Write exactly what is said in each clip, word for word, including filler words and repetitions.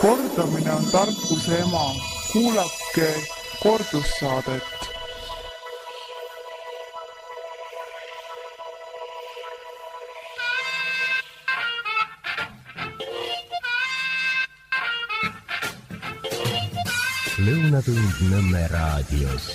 Kordamine on tarkuse ema. Kuulake kordussaadet. Lõunatund Nõmme raadios.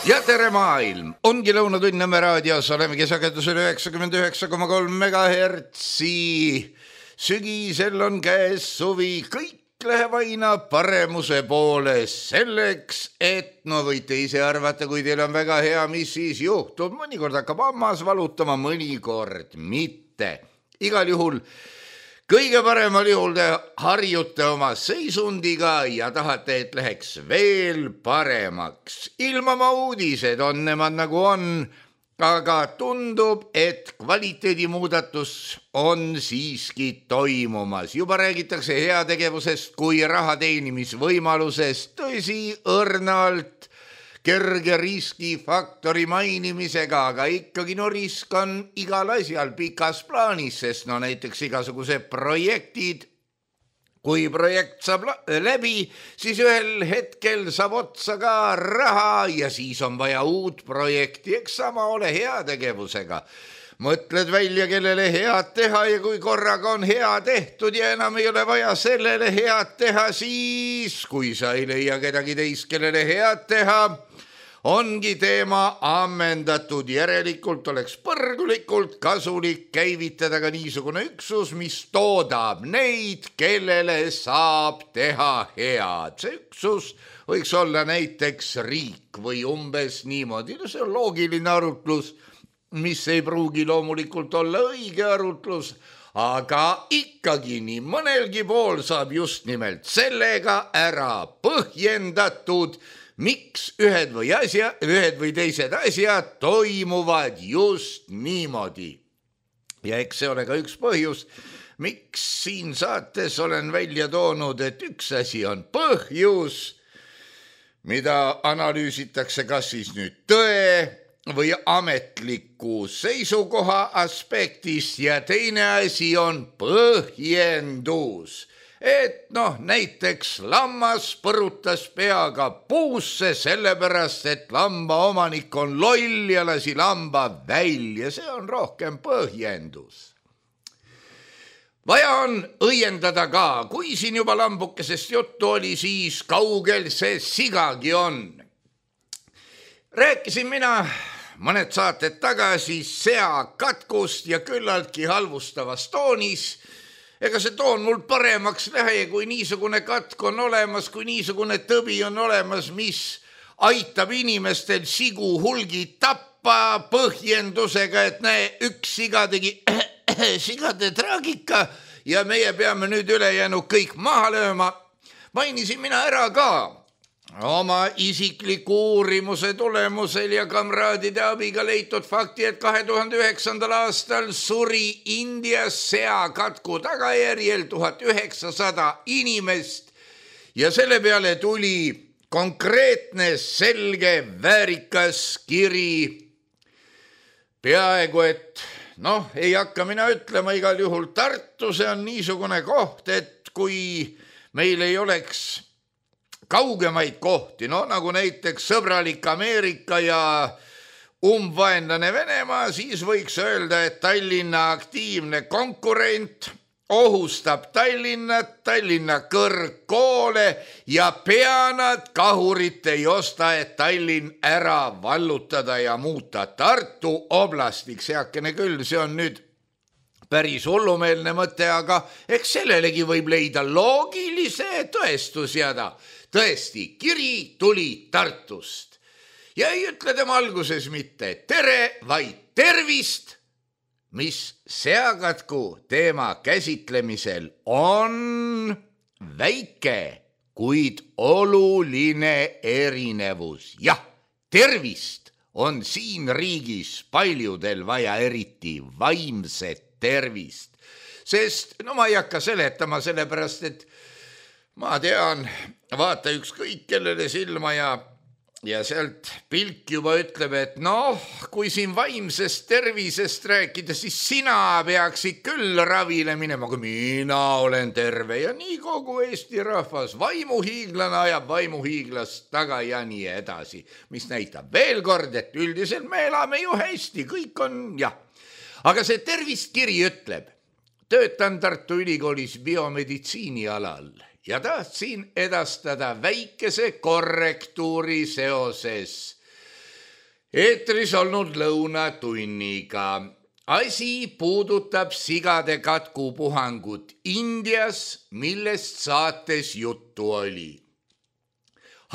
Ja tere maailm! Ongi Lõunatund Nõmme raadios. Olemegi sagedusel üheksakümmend üheksa koma kolm megahertsi. Sügisel on käes suvi. Kõik läheb aina paremuse poole. Selleks, et no võite ise arvata, kui teil on väga hea, mis siis juhtub. Mõnikord hakkab hammas valutama, mõnikord mitte. Igal juhul kõige paremal juhul te harjute oma seisundiga ja tahate, et läheks veel paremaks. Ilmama uudised on nemad nagu on, aga tundub, et kvaliteedimuudatus on siiski toimumas. Juba räägitakse heategevusest kui raha teenimisvõimalusest, tõsi õrnalt, kerge riskifaktori mainimisega, aga ikkagi no risk on igal asjal pikas plaanis, sest no näiteks igasugused projektid, kui projekt saab läbi, siis ühel hetkel saab otsa ka raha ja siis on vaja uut projekti, eks sama ole heategevusega. Mõtled välja, kellele head teha ja kui korraga on hea tehtud ja enam ei ole vaja sellele head teha, siis kui sa ei leia kedagi teist, kellele head teha, ongi teema ammendatud. Järelikult oleks põrgulikult kasulik käivitada ka niisugune üksus, mis toodab neid, kellele saab teha head. See üksus võiks olla näiteks riik või umbes niimoodi. No see on loogiline arutlus, mis ei pruugi loomulikult olla õige arutlus, aga ikkagi nii mõnelgi pool saab just nimelt sellega ära põhjendatud, miks ühed või, asja, ühed või teised asjad toimuvad just niimoodi. Ja eks see ole ka üks põhjus, miks siin saates olen välja toonud, et üks asi on põhjus, mida analüüsitakse kas siis nüüd tõe või ametliku seisukoha aspektist ja teine asi on põhjendus. Et noh, näiteks lammas põrutas peaga puusse sellepärast, et lamba omanik on loll ja lasi lamba välja. See on rohkem põhjendus. Vaja on õiendada ka, kui siin juba lambukesest juttu oli, siis kaugel see sigagi on. Rääkisin mina mõned saated tagasi seakatkust ja küllaltki halvustavas toonis. Ega see toon mul paremaks lähe, kui niisugune katk on olemas, kui niisugune tõbi on olemas, mis aitab inimestel sigu hulgi tappa põhjendusega, et näe, üks siga tegi sigade traagika ja meie peame nüüd ülejäänud kõik maha lööma. Mainisin mina ära ka oma isikliku uurimuse tulemusel ja kamraadide abiga leitud fakti, et kahe tuhande üheksandal aastal suri Indias seakatku tagajärjel tuhat üheksasada inimest ja selle peale tuli konkreetne, selge, väärikas kiri. Peaaegu, et noh, ei hakka mina ütlema, igal juhul Tartu, see on niisugune koht, et kui meil ei oleks kaugemaid kohti, no nagu näiteks sõbralik Ameerika ja umbvaenlane Venemaa, siis võiks öelda, et Tallinna aktiivne konkurent ohustab Tallinnat, Tallinna kõrgkoole ja peanad kahurit ei osta, et Tallinn ära vallutada ja muuta Tartu oblastiks. Heakene küll, see on nüüd päris hullumeelne mõte, aga eks sellelegi võib leida loogilise tõestusjada. Tõesti, kiri tuli Tartust ja ei ütle tema alguses mitte tere, vaid tervist, mis seakatku teema käsitlemisel on väike, kuid oluline erinevus. Jah, tervist on siin riigis paljudel vaja, eriti vaimset tervist, sest no ma ei hakka seletama sellepärast, et ma tean, vaata ükskõik kellele silma ja ja sealt pilk juba ütleb, et noh, kui siin vaimsest tervisest rääkida, siis sina peaksid küll ravile minema, kui mina olen terve ja nii kogu Eesti rahvas. Vaimuhiiglane ajab vaimuhiiglast taga ja nii edasi, mis näitab veel kord, et üldiselt me elame ju hästi, kõik on jah. Aga see tervistkiri ütleb, töötan Tartu Ülikoolis biomeditsiini alal ja tahtsin edastada väikese korrektuuri seoses eetris olnud lõunatunniga. Asi puudutab sigade katkupuhangut Indias, millest saates juttu oli.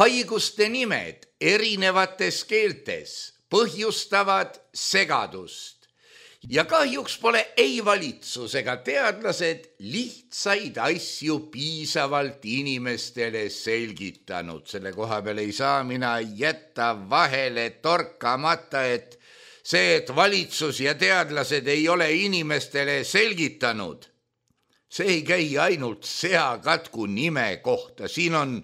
Haiguste nimed erinevates keeltes põhjustavad segadust. Ja kahjuks pole ei valitsus ega teadlased lihtsaid asju piisavalt inimestele selgitanud. Selle koha peal ei saa mina jätta vahele torkamata, et see, et valitsus ja teadlased ei ole inimestele selgitanud, see ei käi ainult seakatku nime kohta. Siin on,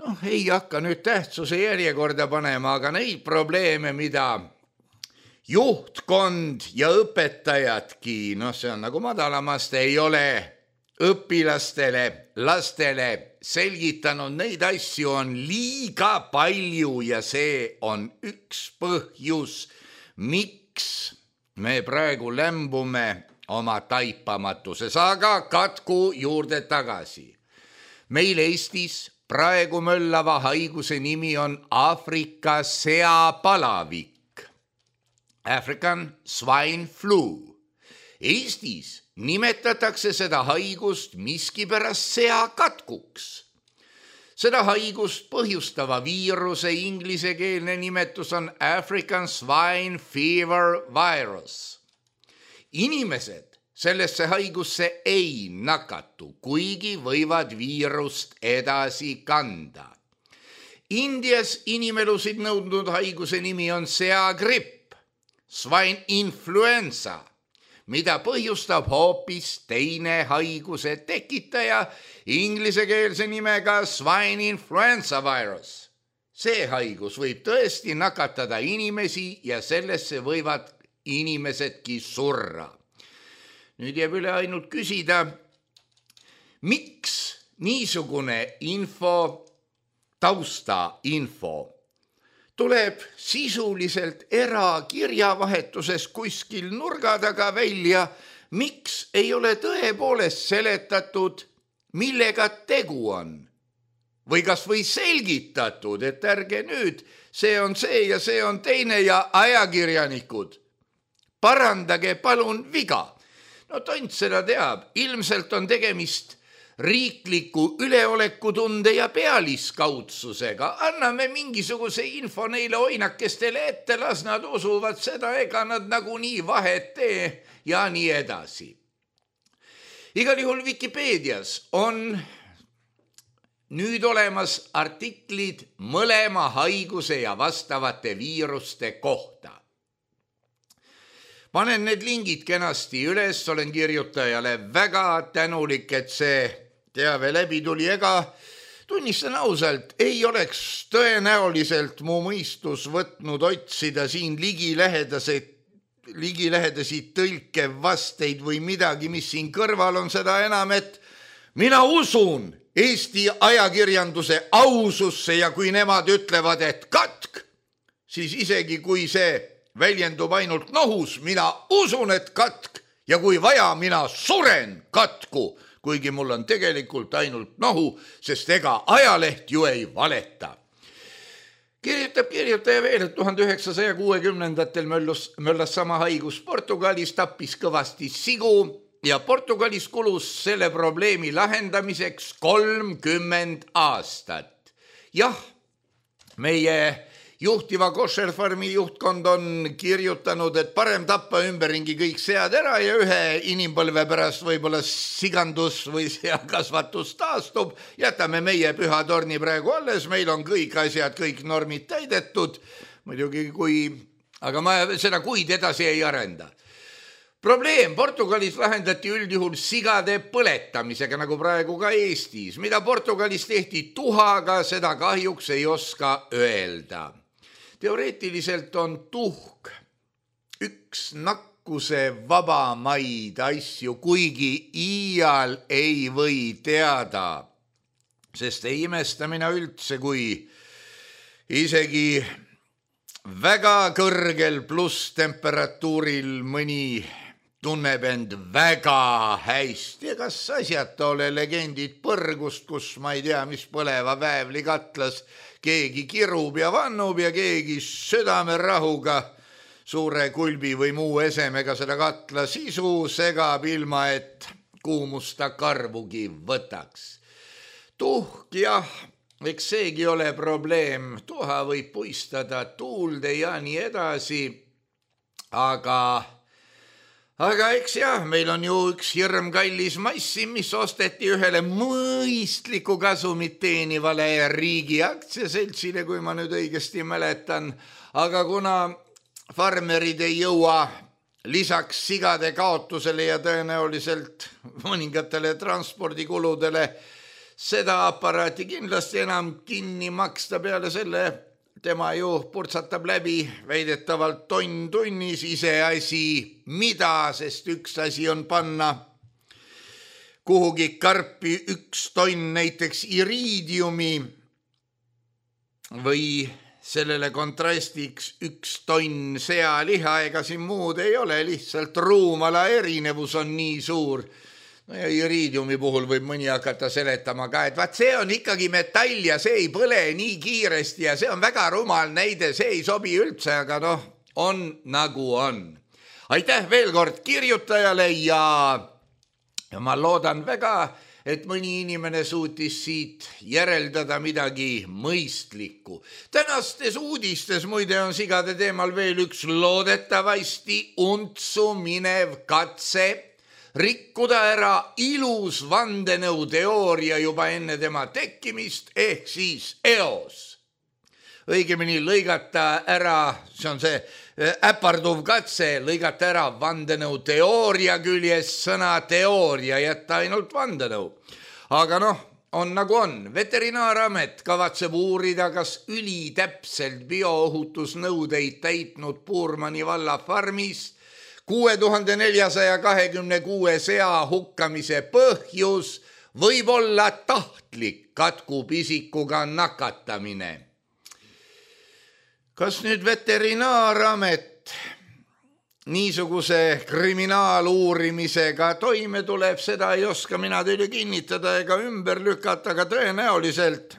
noh, ei hakka nüüd tähtsuse järjekorda panema, aga neid probleeme, mida juhtkond ja õpetajadki, noh see on nagu madalamast, ei ole õpilastele, lastele selgitanud, neid asju on liiga palju ja see on üks põhjus, miks me praegu lämbume oma taipamatuses, aga katku juurde tagasi. Meil Eestis praegu möllava haiguse nimi on Aafrika seapalavik. African swine flu. Eestis nimetatakse seda haigust miskipärast seakatkuks. Seda haigust põhjustava viiruse inglisekeelne nimetus on African swine fever virus. Inimesed sellesse haigusse ei nakatu, kuigi võivad viirust edasi kanda. Indias inimelusid nõudnud haiguse nimi on seagripp. Swine influenza, mida põhjustab hoopis teine haiguse tekitaja inglisekeelse nimega swine influenza virus. See haigus võib tõesti nakatada inimesi ja sellesse võivad inimesedki surra. Nüüd jääb üle ainult küsida, miks niisugune info, tausta info, tuleb sisuliselt erakirjavahetuses kuskil nurga taga välja, miks ei ole tõepoolest seletatud, millega tegu on. Või kas või selgitatud, et ärge nüüd, see on see ja see on teine ja ajakirjanikud. Parandage palun viga. No tont seda teab, ilmselt on tegemist riikliku üleolekutunde ja pealiskaudsusega. Anname mingisuguse info neile oinakestele ette, las nad usuvad seda, ega nad nagunii vahet tee ja nii edasi. Igal juhul Wikipeedias on nüüd olemas artiklid mõlema haiguse ja vastavate viiruste kohta. Panen need lingid kenasti üles, olen kirjutajale väga tänulik, et see teave läbi tuli, ega tunnistan ausalt, ei oleks tõenäoliselt mu mõistus võtnud otsida siin ligilähedaseid, ligilähedasi tõlkevasteid või midagi, mis siin kõrval on, seda enam, et mina usun Eesti ajakirjanduse aususse ja kui nemad ütlevad, et katk, siis isegi kui see väljendub ainult nohus, mina usun, et katk ja kui vaja, mina suren katku, kuigi mul on tegelikult ainult nohu, sest ega ajaleht ju ei valeta. Kirjutab kirjutaja veel, et tuhande üheksasaja kuuekümnendatel möllas, möllas sama haigus Portugalis, tappis kõvasti sigu ja Portugalis kulus selle probleemi lahendamiseks kolmkümmend aastat. Jah, meie juhtiva košerfarmi juhtkond on kirjutanud, et parem tappa ümberringi kõik sead ära ja ühe inimpõlve pärast võib-olla sigandus või seakasvatus taastub. Jätame meie püha torni praegu alles, meil on kõik asjad, kõik normid täidetud. Muidugi kui, aga ma seda kuid edasi ei arenda. Probleem Portugalis lahendati üldjuhul sigade põletamisega, nagu praegu ka Eestis. Mida Portugalis tehti tuhaga, seda kahjuks ei oska öelda. Teoreetiliselt on tuhk üks nakkuse vabamaid asju, kuigi iial ei või teada, sest ei imesta mina üldse, kui isegi väga kõrgel pluss temperatuuril mõni tunneb end väga hästi ja kas asjata ole legendid põrgust, kus ma ei tea, mis põleva väävli katlas keegi kirub ja vannub ja keegi südamerahuga suure kulbi või muu esemega seda katla sisu segab ilma, et kuumusta karvugi võtaks. Tuhk, jah, eks seegi ole probleem, tuha võib puistada tuulde ja nii edasi, aga Aga eks jah, meil on ju üks hirm kallis massi, mis osteti ühele mõistliku kasumit teenivale riigi aktsiaseltsile, kui ma nüüd õigesti mäletan. Aga kuna farmerid ei jõua lisaks sigade kaotusele ja tõenäoliselt mõningatele transpordikuludele seda aparaati kindlasti enam kinni maksta peale selle, tema ju purtsatab läbi väidetavalt tonn tunnis ise asi, mida, sest üks asi on panna kuhugi karpi üks tonn näiteks iriidiumi või sellele kontrastiks üks tonn sealiha, ega siin muud ei ole, lihtsalt ruumala erinevus on nii suur. No ja iriidiumi puhul võib mõni hakata seletama ka, et vaat see on ikkagi metall ja see ei põle nii kiiresti ja see on väga rumal näide, see ei sobi üldse, aga noh, on nagu on. Aitäh veel kord kirjutajale ja, ja ma loodan väga, et mõni inimene suutis siit järeldada midagi mõistlikku. Tänastes uudistes muide on sigade teemal veel üks loodetavasti untsu minev katse rikkuda ära ilus vandenõuteooria juba enne tema tekkimist ehk siis eos. Õigemini lõigata ära, see on see äparduv katse, lõigata ära vandenõuteooria küljes sõna teooria, jätta ainult vandenõu. Aga noh, on nagu on. Veterinaaramet kavatseb uurida, kas ülitäpselt bioohutusnõudeid täitnud Puurmani valla farmis kuue tuhande neljasaja kahekümne kuue sea hukkamise põhjus võib olla tahtlik katkupisikuga nakatamine. Kas nüüd veterinaaramet niisuguse kriminaaluurimisega toime tuleb, seda ei oska mina teile kinnitada ega ümber lükata, aga tõenäoliselt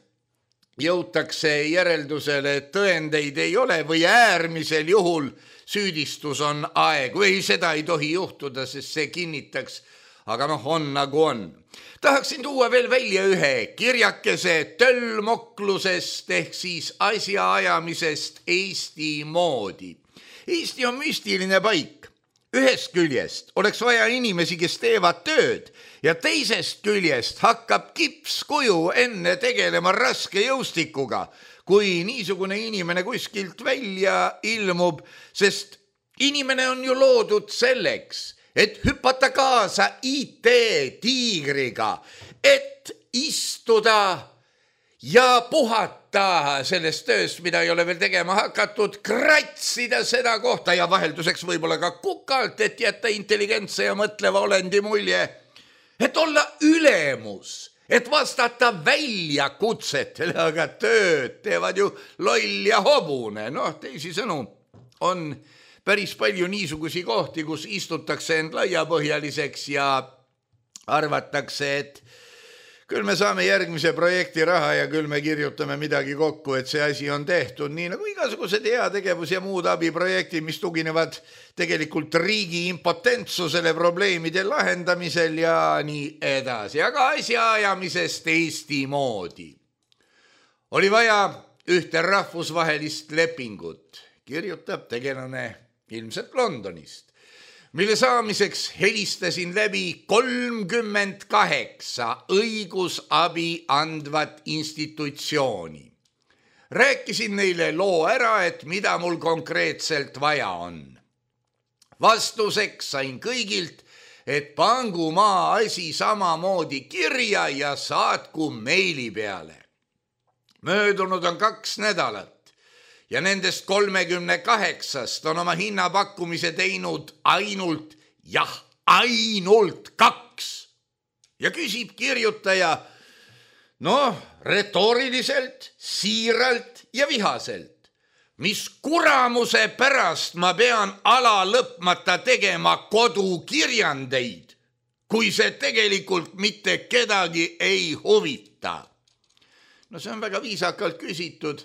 jõutakse järeldusele, et tõendeid ei ole või äärmisel juhul süüdistus on aeg või seda ei tohi juhtuda, sest see kinnitaks, aga noh, on nagu on. Tahaksin tuua veel välja ühe kirjakese töllmoklusest ehk siis asjaajamisest Eesti moodi. Eesti on müstiline paik. Ühest küljest oleks vaja inimesi, kes teevad tööd ja teisest küljest hakkab kipskuju enne tegelema raske jõustikuga, kui niisugune inimene kuskilt välja ilmub, sest inimene on ju loodud selleks, et hüpata kaasa I T-tiigriga, et istuda ja puhata sellest tööst, mida ei ole veel tegema hakatud, kratsida seda kohta ja vahelduseks võib-olla ka kukalt, et jätta intelligentse ja mõtleva olendi mulje, et olla ülemus, et vastata välja kutsetele, aga tööd teevad ju loll ja hobune. Noh, teisisõnu on päris palju niisugusi kohti, kus istutakse end laiapõhjaliseks ja arvatakse, et küll me saame järgmise projekti raha ja küll me kirjutame midagi kokku, et see asi on tehtud, nii nagu igasugused heategevus ja muud abiprojektid, mis tuginevad tegelikult riigi impotentsusele probleemide lahendamisel ja nii edasi. Aga asjaajamisest Eesti moodi. Oli vaja ühte rahvusvahelist lepingut, kirjutab tegelane ilmselt Londonist, mille saamiseks helistasin läbi kolmkümmend kaheksa õigusabi andvat institutsiooni. Rääkisin neile loo ära, et mida mul konkreetselt vaja on. Vastuseks sain kõigilt, et pangu maa asi samamoodi kirja ja saatku meili peale. Möödunud on kaks nädalat ja nendest kolmekümne kaheksast on oma hinnapakkumise teinud ainult, jah, ainult kaks. Ja küsib kirjutaja, noh, retooriliselt, siiralt ja vihaselt, mis kuramuse pärast ma pean ala lõpmata tegema kodukirjandeid, kui see tegelikult mitte kedagi ei huvita. No see on väga viisakalt küsitud.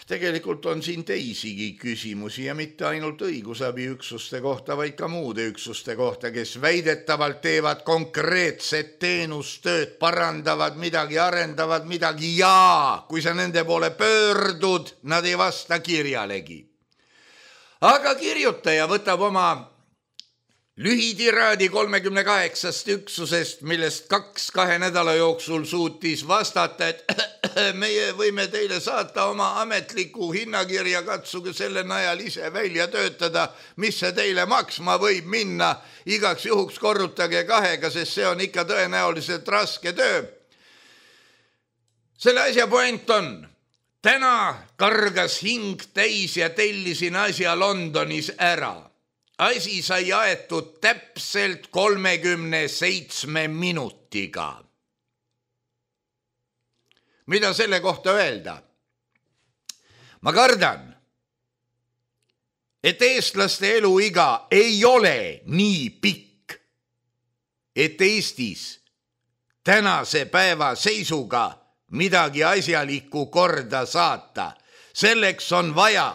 Tegelikult on siin teisigi küsimusi ja mitte ainult õigusabiüksuste kohta, vaid ka muude üksuste kohta, kes väidetavalt teevad konkreetset teenustööd, parandavad midagi, arendavad midagi ja kui sa nende poole pöördud, nad ei vasta kirjalegi. Aga kirjutaja võtab oma lühitiraadi kolmekümne kaheksast üksusest, millest kaks kahe nädala jooksul suutis vastata, et meie võime teile saata oma ametliku hinnakirja, katsuge selle najal ise välja töötada, mis see teile maksma võib minna, igaks juhuks korrutage kahega, sest see on ikka tõenäoliselt raske töö. Selle asja point on, täna kargas hing täis ja tellisin asja Londonis ära. Asi sai aetud täpselt kolmekümne seitsme minutiga. Mida selle kohta öelda? Ma kardan, et eestlaste eluiga ei ole nii pikk, et Eestis tänase päeva seisuga midagi asjalikku korda saata. Selleks on vaja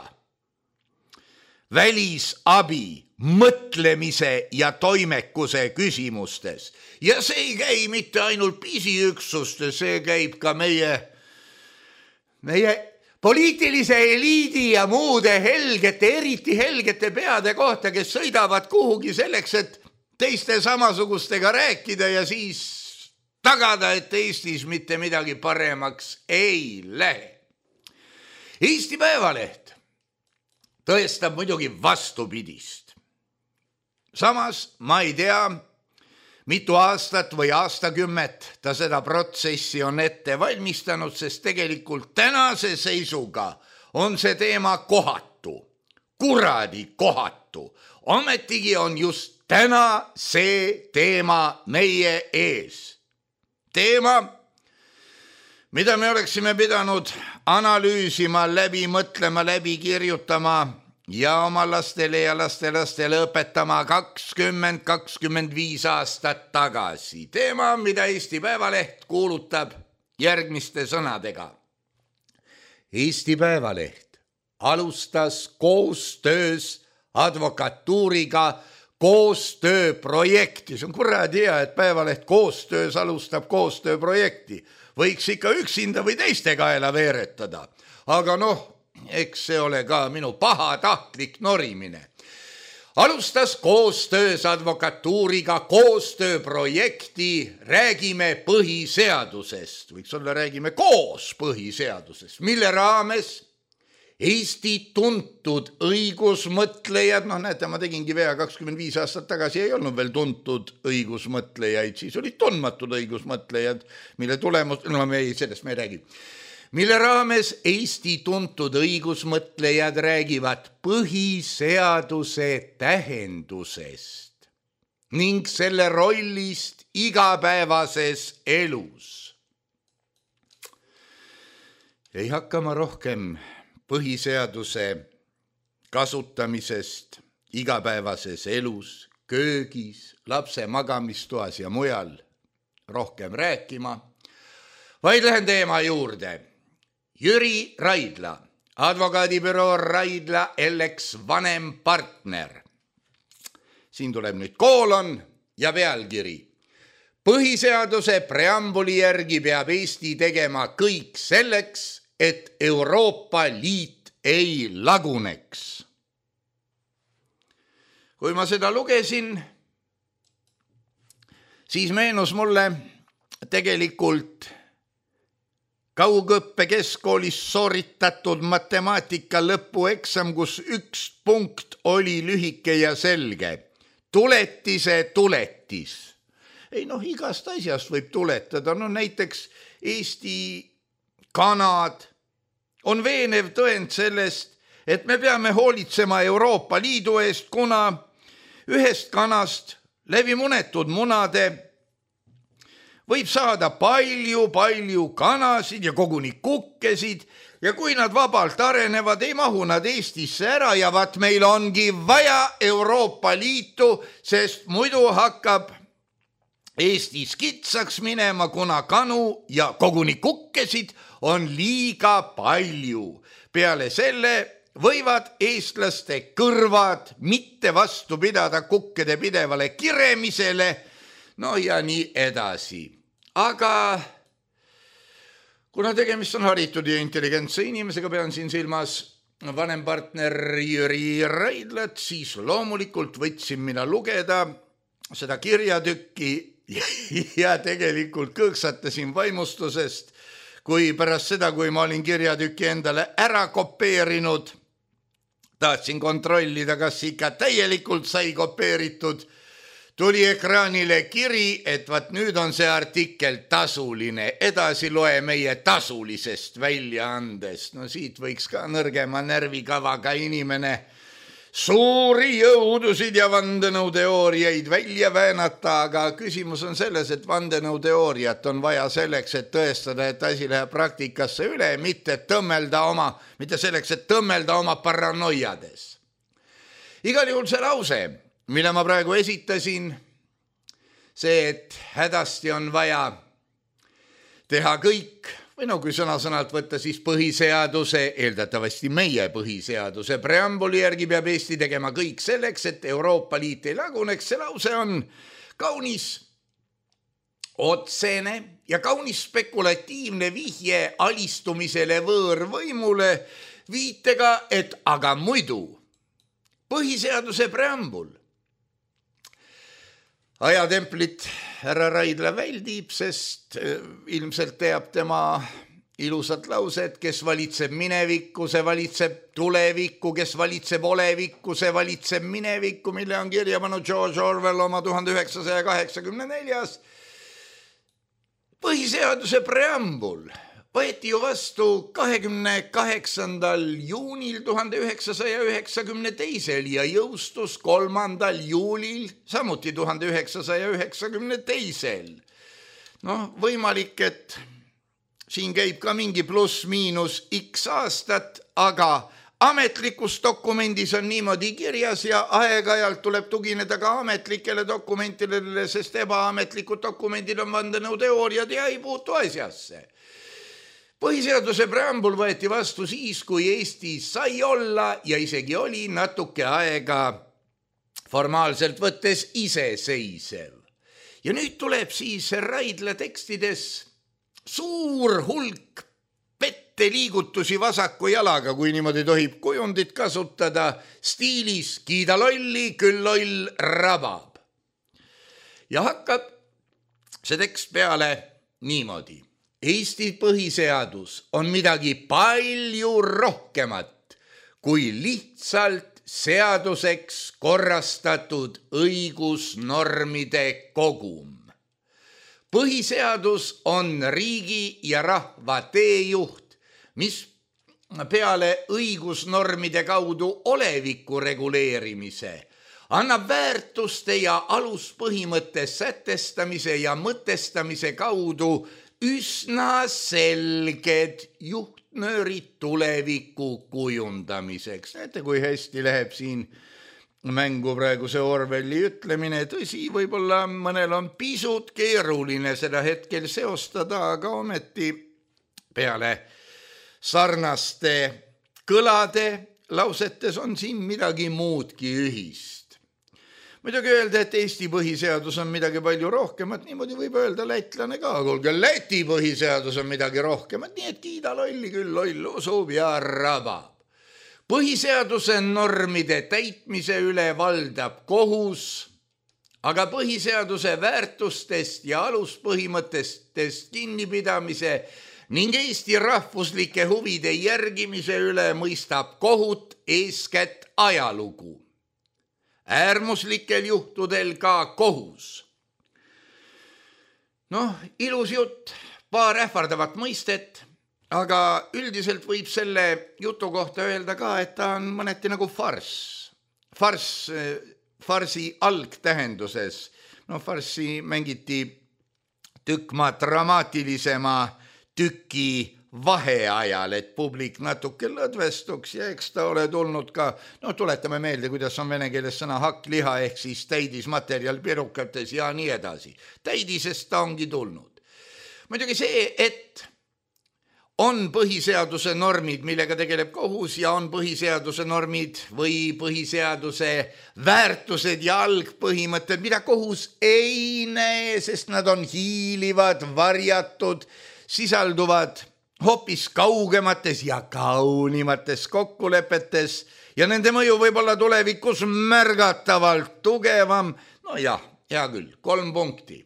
välisabi mõtlemise ja toimekuse küsimustes. Ja see ei käi mitte ainult pisiüksustes, see käib ka meie, meie poliitilise eliidi ja muude helgete, eriti helgete peade kohta, kes sõidavad kuhugi selleks, et teiste samasugustega rääkida ja siis tagada, et Eestis mitte midagi paremaks ei lähe. Eesti Päevaleht tõestab muidugi vastupidist. Samas ma ei tea, mitu aastat või aastakümmet ta seda protsessi on ette valmistanud, sest tegelikult tänase seisuga on see teema kohatu, kuradi kohatu. Ometigi on just täna see teema meie ees. Teema, mida me oleksime pidanud analüüsima, läbi mõtlema, läbi kirjutama ja oma lastele ja lastelastele õpetama kakskümmend kakskümmend viis aastat tagasi. Teema, mida Eesti Päevaleht kuulutab järgmiste sõnadega. Eesti Päevaleht alustas koostöös advokatuuriga koostööprojekti. See on kuradi hea, et Päevaleht koostöös alustab koostööprojekti. Võiks ikka üksinda või teiste kaela veeretada. Aga noh, eks see ole ka minu pahatahtlik norimine. Alustas koostöös advokatuuriga koostööprojekti Räägime põhiseadusest. Võiks olla räägime koos põhiseadusest, mille raames Eesti tuntud õigusmõtlejad, noh näete, ma tegingi vea kakskümmend viis aastat tagasi, ei olnud veel tuntud õigusmõtlejaid, siis olid tundmatud õigusmõtlejad, mille tulemus, no me ei, sellest me ei räägi, mille raames Eesti tuntud õigusmõtlejad räägivad põhiseaduse tähendusest ning selle rollist igapäevases elus. Ei hakka ma rohkem põhiseaduse kasutamisest igapäevases elus, köögis, lapse magamistoas ja mujal rohkem rääkima, vaid lähen teema juurde. Jüri Raidla, advokaadibüroo Raidla L X vanem partner. Siin tuleb nüüd koolon ja pealkiri. Põhiseaduse preambuli järgi peab Eesti tegema kõik selleks, et Euroopa Liit ei laguneks. Kui ma seda lugesin, siis meenus mulle tegelikult kaugõppe keskkoolis sooritatud matemaatika lõpueksam, kus üks punkt oli lühike ja selge. Tuletise tuletis. Ei noh, igast asjast võib tuletada. No näiteks Eesti kanad on veenev tõend sellest, et me peame hoolitsema Euroopa Liidu eest, kuna ühest kanast läbi munetud munade võib saada palju-palju kanasid ja koguni kukkesid ja kui nad vabalt arenevad, ei mahu nad Eestisse ära ja vaat meil ongi vaja Euroopa Liitu, sest muidu hakkab Eestis kitsaks minema, kuna kanu ja koguni kukkesid on liiga palju. Peale selle võivad eestlaste kõrvad mitte vastu pidada kukkede pidevale kiremisele, no ja nii edasi. Aga kuna tegemist on haritud ja intelligentse inimesega, pean siin silmas vanem partner Jüri Raidlat, siis loomulikult võtsin mina lugeda seda kirjatükki ja tegelikult kõõksatasin vaimustusest, kui pärast seda, kui ma olin kirjatükki endale ära kopeerinud, tahtsin kontrollida, kas ikka täielikult sai kopeeritud, tuli ekraanile kiri, et vaat nüüd on see artikkel tasuline, edasi loe meie tasulisest väljaandest. No siit võiks ka nõrgema närvikavaga inimene suuri jõudusid ja vandenõuteooriaid välja väänata, aga küsimus on selles, et vandenõuteooriat on vaja selleks, et tõestada, et asi läheb praktikasse üle, mitte tõmmelda oma, mitte selleks, et tõmmelda oma paranoiades. Igal juhul see lause, mille ma praegu esitasin, see, et hädasti on vaja teha kõik, või no kui sõna-sõnalt võtta, siis põhiseaduse, eeldatavasti meie põhiseaduse preambuli järgi peab Eesti tegema kõik selleks, et Euroopa Liit ei laguneks. See lause on kaunis otsene ja kaunis spekulatiivne vihje alistumisele võõrvõimule viitega, et aga muidu põhiseaduse preambul ajatemplit härra Raidla väldib, sest ilmselt teab tema ilusat lauset, kes valitseb minevikku, see valitseb tulevikku, kes valitseb olevikku, see valitseb minevikku, mille on kirja pannud George Orwell oma tuhande üheksasaja kaheksakümne neljas. Põhiseaduse preambul võeti ju vastu kahekümne kaheksandal juunil tuhande üheksasaja üheksakümne teisel ja jõustus kolmandal juulil samuti tuhande üheksasaja üheksakümne teisel. Noh, võimalik, et siin käib ka mingi pluss-miinus x aastat, aga ametlikus dokumendis on niimoodi kirjas ja aeg-ajalt tuleb tugineda ka ametlikele dokumentidele, sest ebaametlikud dokumendid on vandenõuteooriad ja ei puutu asjasse. Põhiseaduse preambul võeti vastu siis, kui Eesti sai olla ja isegi oli natuke aega formaalselt võttes iseseisev. Ja nüüd tuleb siis Raidla tekstides suur hulk petteliigutusi vasaku jalaga, kui niimoodi tohib kujundit kasutada, stiilis kiida lolli, küll loll rabab. Ja hakkab see tekst peale niimoodi. Eesti põhiseadus on midagi palju rohkemat kui lihtsalt seaduseks korrastatud õigusnormide kogum. Põhiseadus on riigi ja rahva teejuht, mis peale õigusnormide kaudu oleviku reguleerimise annab väärtuste ja aluspõhimõtte sätestamise ja mõtestamise kaudu üsna selged juhtnöörid tuleviku kujundamiseks. Näete, kui hästi läheb siin mängu praegu see Orwelli ütlemine. Tõsi, võib-olla mõnel on pisut keeruline seda hetkel seostada, aga ometi peale sarnaste kõlade lausetes on siin midagi muudki ühist. Muidugi öelda, et Eesti põhiseadus on midagi palju rohkemat, niimoodi võib öelda lätlane ka, kuulge, Läti põhiseadus on midagi rohkemat, nii et kiida lolli küll loll usub ja rabab. Põhiseaduse normide täitmise üle valdab kohus, aga põhiseaduse väärtustest ja aluspõhimõttest kinnipidamise ning Eesti rahvuslike huvide järgimise üle mõistab kohut eeskätt ajalugu. Äärmuslikel juhtudel ka kohus. Noh, ilus jutt, paar ähvardavat mõistet, aga üldiselt võib selle jutu kohta öelda ka, et ta on mõneti nagu farss. Farss, farsi algtähenduses. No farsi mängiti tükma dramaatilisema tüki vaheajal, et publik natuke lõdvestuks ja eks ta ole tulnud ka, no tuletame meelde, kuidas on vene keeles sõna hakkliha ehk siis täidismaterjal pirukates ja nii edasi. Täidisest ta ongi tulnud. Muidugi see, et on põhiseaduse normid, millega tegeleb kohus ja on põhiseaduse normid või põhiseaduse väärtused ja algpõhimõtted, mida kohus ei näe, sest nad on hiilivad, varjatud, sisalduvad hoopis kaugemates ja kaunimates kokkulepetes ja nende mõju võib olla tulevikus märgatavalt tugevam. No jah, hea küll, kolm punkti.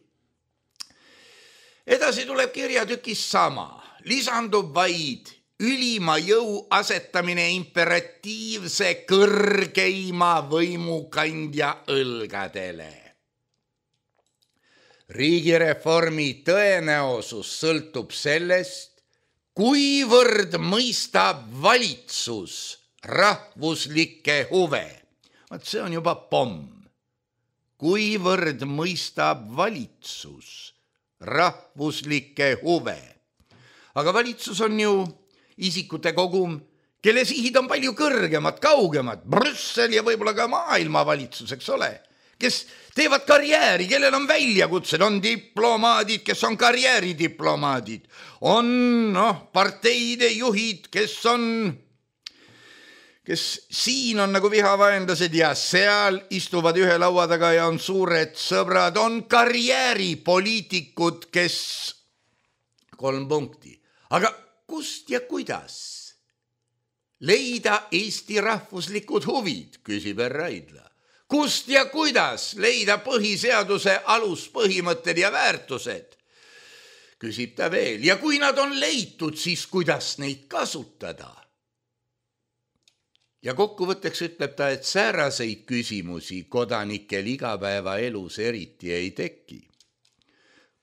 Edasi tuleb kirjatükis sama. Lisandub vaid ülima jõu asetamine imperatiivse kõrgeima võimukandja õlgadele. Riigireformi tõenäosus sõltub sellest, kuivõrd mõistab valitsus rahvuslikke huve. Vaat see on juba pomm. Kuivõrd mõistab valitsus rahvuslikke huve. Aga valitsus on ju isikute kogum, kelle sihid on palju kõrgemad, kaugemad, Brüssel ja võib-olla ka maailmavalitsus, eks ole, kes teevad karjääri, kellel on väljakutsed, on diplomaadid, kes on karjääridiplomaadid, on noh, parteide juhid, kes on, kes siin on nagu vihavaenlased ja seal istuvad ühe laua taga ja on suured sõbrad, on karjääripoliitikud, kes kolm punkti. Aga kust ja kuidas leida Eesti rahvuslikud huvid, küsib Raidla. Kust ja kuidas leida põhiseaduse aluspõhimõtted ja väärtused, küsib ta veel. Ja kui nad on leitud, siis kuidas neid kasutada? Ja kokkuvõtteks ütleb ta, et sääraseid küsimusi kodanikel igapäevaelus eriti ei teki.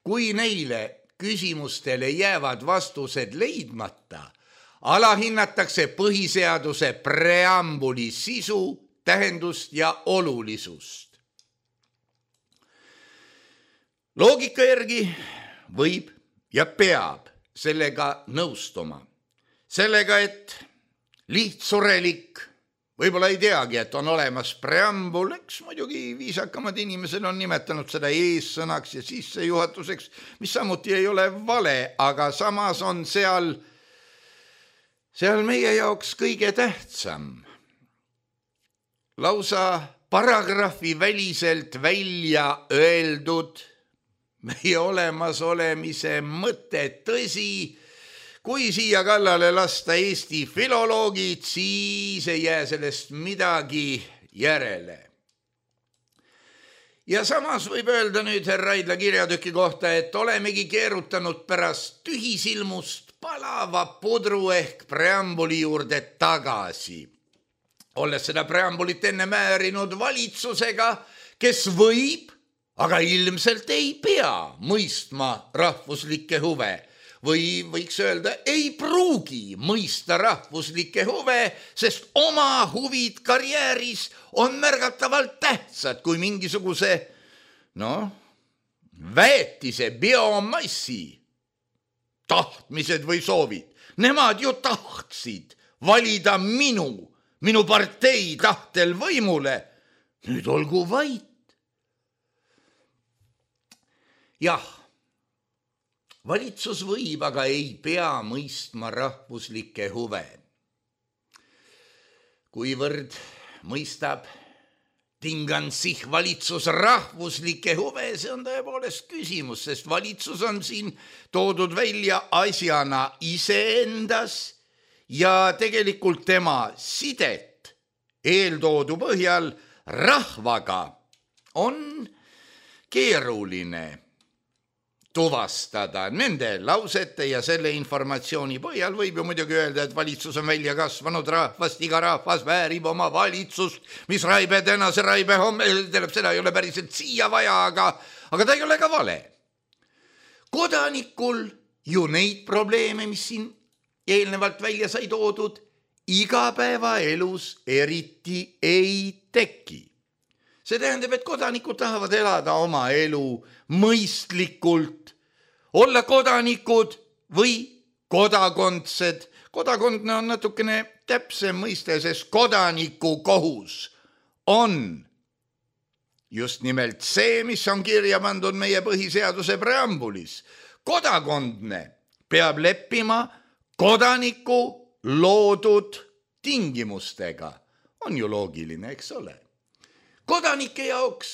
Kui neile küsimustele jäävad vastused leidmata, alahinnatakse põhiseaduse preambuli sisu, tähendust ja olulisust. Loogika järgi võib ja peab sellega nõustuma. Sellega, et lihtsurelik, võib-olla ei teagi, et on olemas preambul, eks muidugi viisakamad inimesed on nimetanud seda eessõnaks ja sissejuhatuseks, mis samuti ei ole vale, aga samas on seal, seal meie jaoks kõige tähtsam. Lausa paragrahvi väliselt välja öeldud meie olemasolemise mõte, tõsi, kui siia kallale lasta Eesti filoloogid, siis ei jää sellest midagi järele. Ja samas võib öelda nüüd härra Raidla kirjatüki kohta, et olemegi keerutanud pärast tühisilmust palava pudru ehk preambuli juurde tagasi. Olles seda preambulit enne määrinud valitsusega, kes võib, aga ilmselt ei pea mõistma rahvuslikke huve. Või võiks öelda, ei pruugi mõista rahvuslikke huve, sest oma huvid karjääris on märgatavalt tähtsad kui mingisuguse, noh, väetise biomassi tahtmised või soovid. Nemad ju tahtsid valida minu, minu partei tahtel võimule. Nüüd olgu vait. Jah. Valitsus võib, aga ei pea mõistma rahvuslikke huve. Kuivõrd mõistab tingansih valitsus rahvuslikke huve, see on tõepoolest küsimus, sest valitsus on siin toodud välja asjana iseendas ja tegelikult tema sidet eeltoodu põhjal rahvaga on keeruline tuvastada. Nende lausete ja selle informatsiooni põhjal võib ju muidugi öelda, et valitsus on välja kasvanud rahvast, iga rahvas väärib oma valitsust, mis raibe tänase raibe homme, tähendab, seda ei ole päriselt siia vaja, aga, aga ta ei ole ka vale. Kodanikul ju neid probleeme, mis siin eelnevalt välja sai toodud, igapäevaelus eriti ei teki. See tähendab, et kodanikud tahavad elada oma elu mõistlikult, olla kodanikud või kodakondsed. Kodakondne on natukene täpsem mõiste, sest kodaniku kohus on just nimelt see, mis on kirja pandud meie põhiseaduse preambulis. Kodakondne peab leppima kodaniku loodud tingimustega. On ju loogiline, eks ole? Kodanike jaoks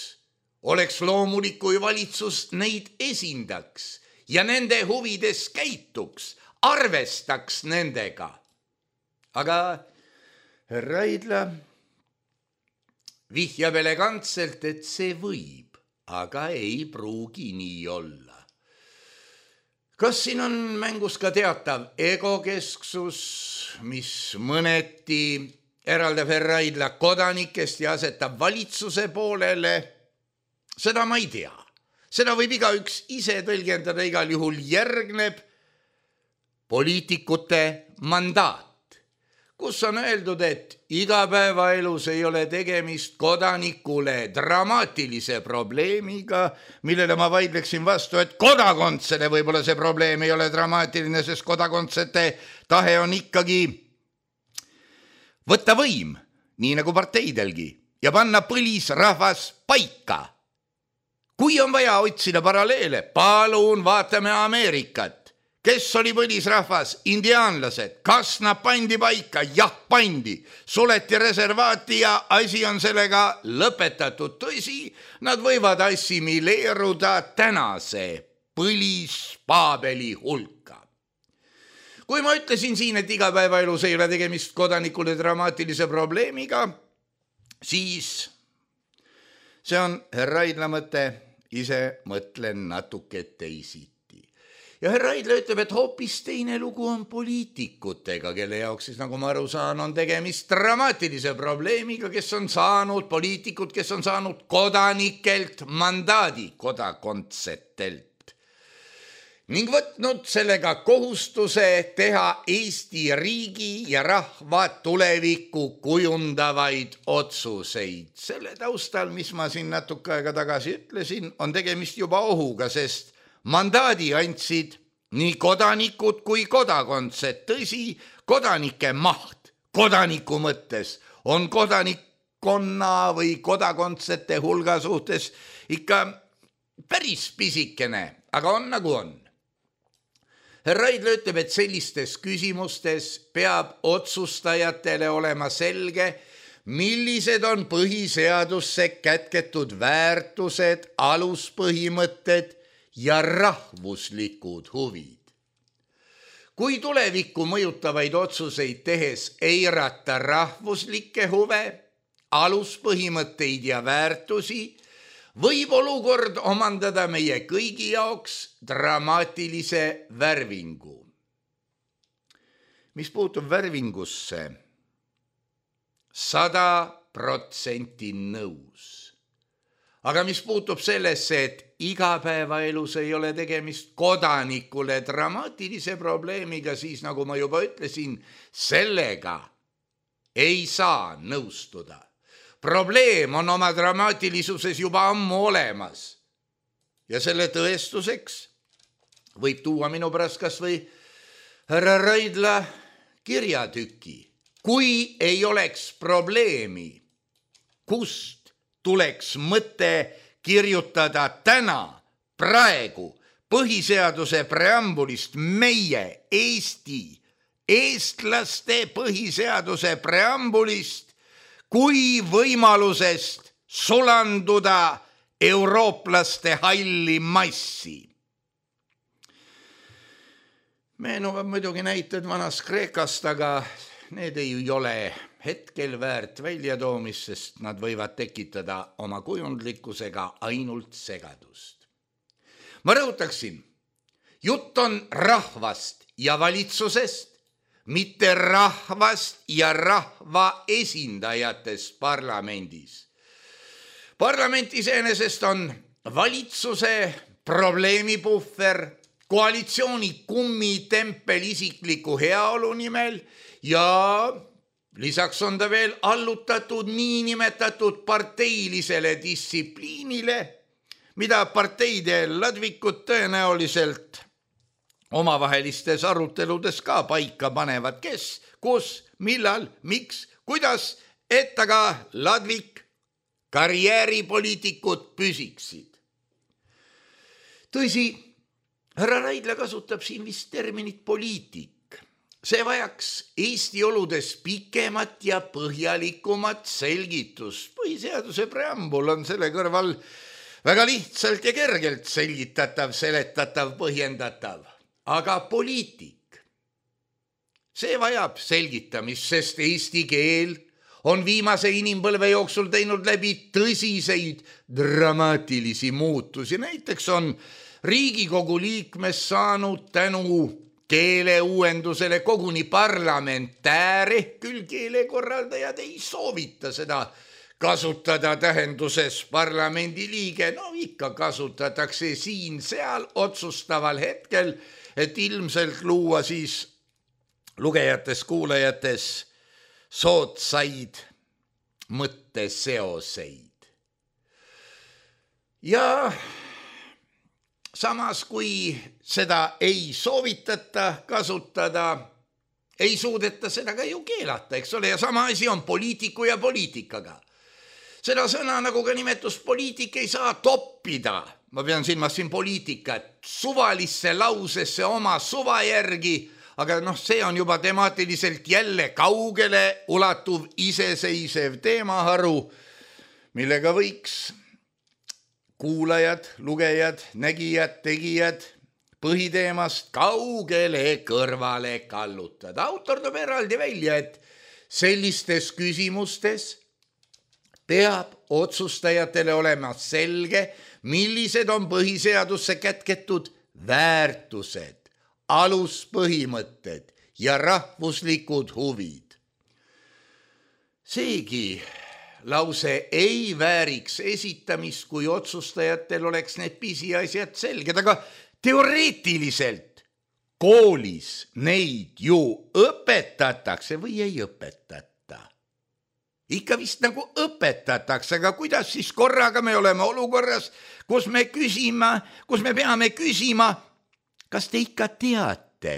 oleks loomulik, kui valitsus neid esindaks ja nende huvides käituks, arvestaks nendega. Aga Raidla vihjab elegantselt, et see võib, aga ei pruugi nii olla. Kas siin on mängus ka teatav egokesksus, mis mõneti eraldab Raidla kodanikest ja asetab valitsuse poolele? Seda ma ei tea. Seda võib igaüks ise tõlgendada, igal juhul järgneb poliitikute mandaat, kus on öeldud, et igapäevaelus ei ole tegemist kodanikule dramaatilise probleemiga, millele ma vaidleksin vastu, et kodakondsele võib-olla see probleem ei ole dramaatiline, sest kodakondsete tahe on ikkagi võtta võim, nii nagu parteidelgi, ja panna põlisrahvas paika. Kui on vaja otsida paralleele, palun vaatame Ameerikat. Kes oli põlisrahvas? Indiaanlased. Kas nad pandi paika? Jah, pandi. Suleti reservaati ja asi on sellega lõpetatud. Tõsi, nad võivad assimileeruda tänase põlispaabeli hulka. Kui ma ütlesin siin, et igapäevaelus ei ole tegemist kodanikule dramaatilise probleemiga, siis see on Raidla mõte, ise mõtlen natuke teisiti. Ja Raidla ütleb, et hoopis teine lugu on poliitikutega, kelle jaoks siis, nagu ma aru saan, on tegemist dramaatilise probleemiga, kes on saanud, poliitikud, kes on saanud kodanikelt mandaadi, kodakondsetelt. Ning võtnud sellega kohustuse teha Eesti riigi ja rahva tulevikku kujundavaid otsuseid. Selle taustal, mis ma siin natuke aega tagasi ütlesin, on tegemist juba ohuga, sest mandaadi andsid nii kodanikud kui kodakondsed. Tõsi, kodanike maht kodaniku mõttes on kodanikkonna või kodakondsete hulga suhtes ikka päris pisikene, aga on nagu on. Raidla ütleb, et sellistes küsimustes peab otsustajatele olema selge, millised on põhiseadusse kätketud väärtused, aluspõhimõtted ja rahvuslikud huvid. Kui tulevikku mõjutavaid otsuseid tehes eirata rahvuslikke huve, aluspõhimõtteid ja väärtusi, võib olukord omandada meie kõigi jaoks dramaatilise värvingu. Mis puutub värvingusse, sada protsenti nõus. Aga mis puutub sellesse, et igapäevaelus ei ole tegemist kodanikule dramaatilise probleemiga, siis nagu ma juba ütlesin, sellega ei saa nõustuda. Probleem on oma dramaatilisuses juba ammu olemas. Ja selle tõestuseks võib tuua minu pärast kas või härra Raidla kirjatüki. Kui ei oleks probleemi, kust tuleks mõte kirjutada täna, praegu, põhiseaduse preambulist meie, Eesti, eestlaste põhiseaduse preambulist, kui võimalusest sulanduda eurooplaste halli massi. Meenuvad muidugi näited vanast Kreekast, aga need ei ole hetkel väärt väljatoomist, sest nad võivad tekitada oma kujundlikkusega ainult segadust. Ma rõhutaksin, Jutt on rahvast ja valitsusest, mitte rahvast ja rahva esindajatest parlamendis. Parlament iseenesest on valitsuse probleemipuhver, koalitsiooni kummitempel isikliku heaolu nimel ja lisaks on ta veel allutatud niinimetatud parteilisele distsipliinile, mida parteide ladvikud tõenäoliselt omavahelistes aruteludes ka paika panevad, kes, kus, millal, miks, kuidas, et aga ladvik karjääripoliitikud püsiksid. Tõsi, härra Raidla kasutab siin vist terminit poliitik. See vajaks Eesti oludes pikemat ja põhjalikumat selgitust. Põhiseaduse preambul on selle kõrval väga lihtsalt ja kergelt selgitatav, seletatav, põhjendatav. Aga poliitik, see vajab selgitamist, sest eesti keel on viimase inimpõlve jooksul teinud läbi tõsiseid dramaatilisi muutusi. Näiteks on Riigikogu liikmest saanud tänu keeleuuendusele koguni parlamentääre, küll keelekorraldajad ei soovita seda kasutada tähenduses parlamendi liige. No ikka kasutatakse siin-seal otsustaval hetkel, et ilmselt luua siis lugejates, kuulajates sootsaid mõtteseoseid. Ja samas, kui seda ei soovitata kasutada, ei suudeta seda ka ju keelata, eks ole, ja sama asi on poliitiku ja poliitikaga. Seda sõna, nagu ka nimetus poliitik, ei saa toppida, ma pean silmas siin poliitikat, suvalisse lausesse oma suva järgi, aga noh, see on juba temaatiliselt jälle kaugele ulatuv iseseisev teemaharu, millega võiks kuulajad, lugejad, nägijad, tegijad põhiteemast kaugele kõrvale kallutada. Autor toob eraldi välja, et sellistes küsimustes peab otsustajatele olema selge, millised on põhiseadusse kätketud väärtused, aluspõhimõtted ja rahvuslikud huvid. Seegi lause ei vääriks esitamist, kui otsustajatel oleks need pisiasjad selged, aga teoreetiliselt koolis neid ju õpetatakse või ei õpetata. Ikka vist nagu õpetatakse, aga kuidas siis korraga me oleme olukorras, kus me küsima, kus me peame küsima, kas te ikka teate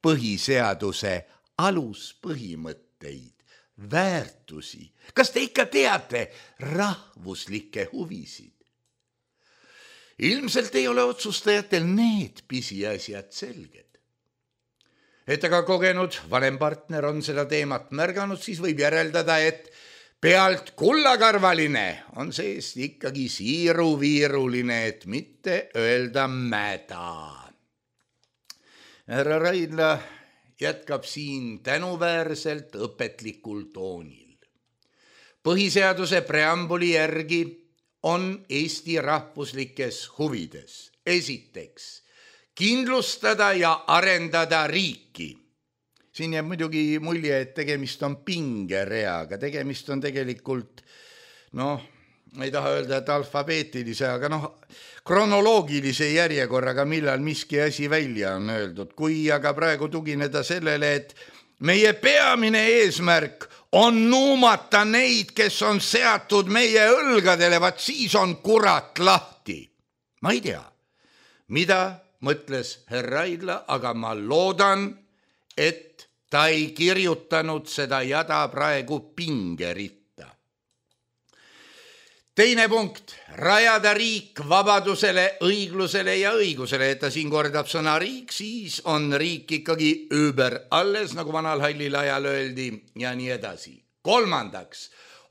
põhiseaduse aluspõhimõtteid, väärtusi? Kas te ikka teate rahvuslikke huvisid? Ilmselt ei ole otsustajatel need pisiasjad selged. Et aga kogenud vanem partner on seda teemat märganud, siis võib järeldada, et pealt kullakarvaline on seest ikkagi siiruviiruline, et mitte öelda mäda. Härra Raidla jätkab siin tänuväärselt õpetlikul toonil. Põhiseaduse preambuli järgi on Eesti rahvuslikes huvides. Esiteks, kindlustada ja arendada riiki. Siin jääb muidugi mulje, et tegemist on pingereaga. Tegemist on tegelikult, noh, ma ei taha öelda, et alfabeetilise, aga noh, kronoloogilise järjekorraga, millal miski asi välja on öeldud. Kui aga praegu tugineda sellele, et meie peamine eesmärk on nuumata neid, kes on seatud meie õlgadele, vaat siis on kurat lahti. Ma ei tea, mida mõtles härra Raidla, aga ma loodan, et ta ei kirjutanud seda jada praegu pingeritta. Teine punkt, rajada riik vabadusele, õiglusele ja õigusele. Et ta siin kordab sõna riik, siis on riik ikkagi über alles, nagu vanal hallil ajal öeldi ja nii edasi. Kolmandaks,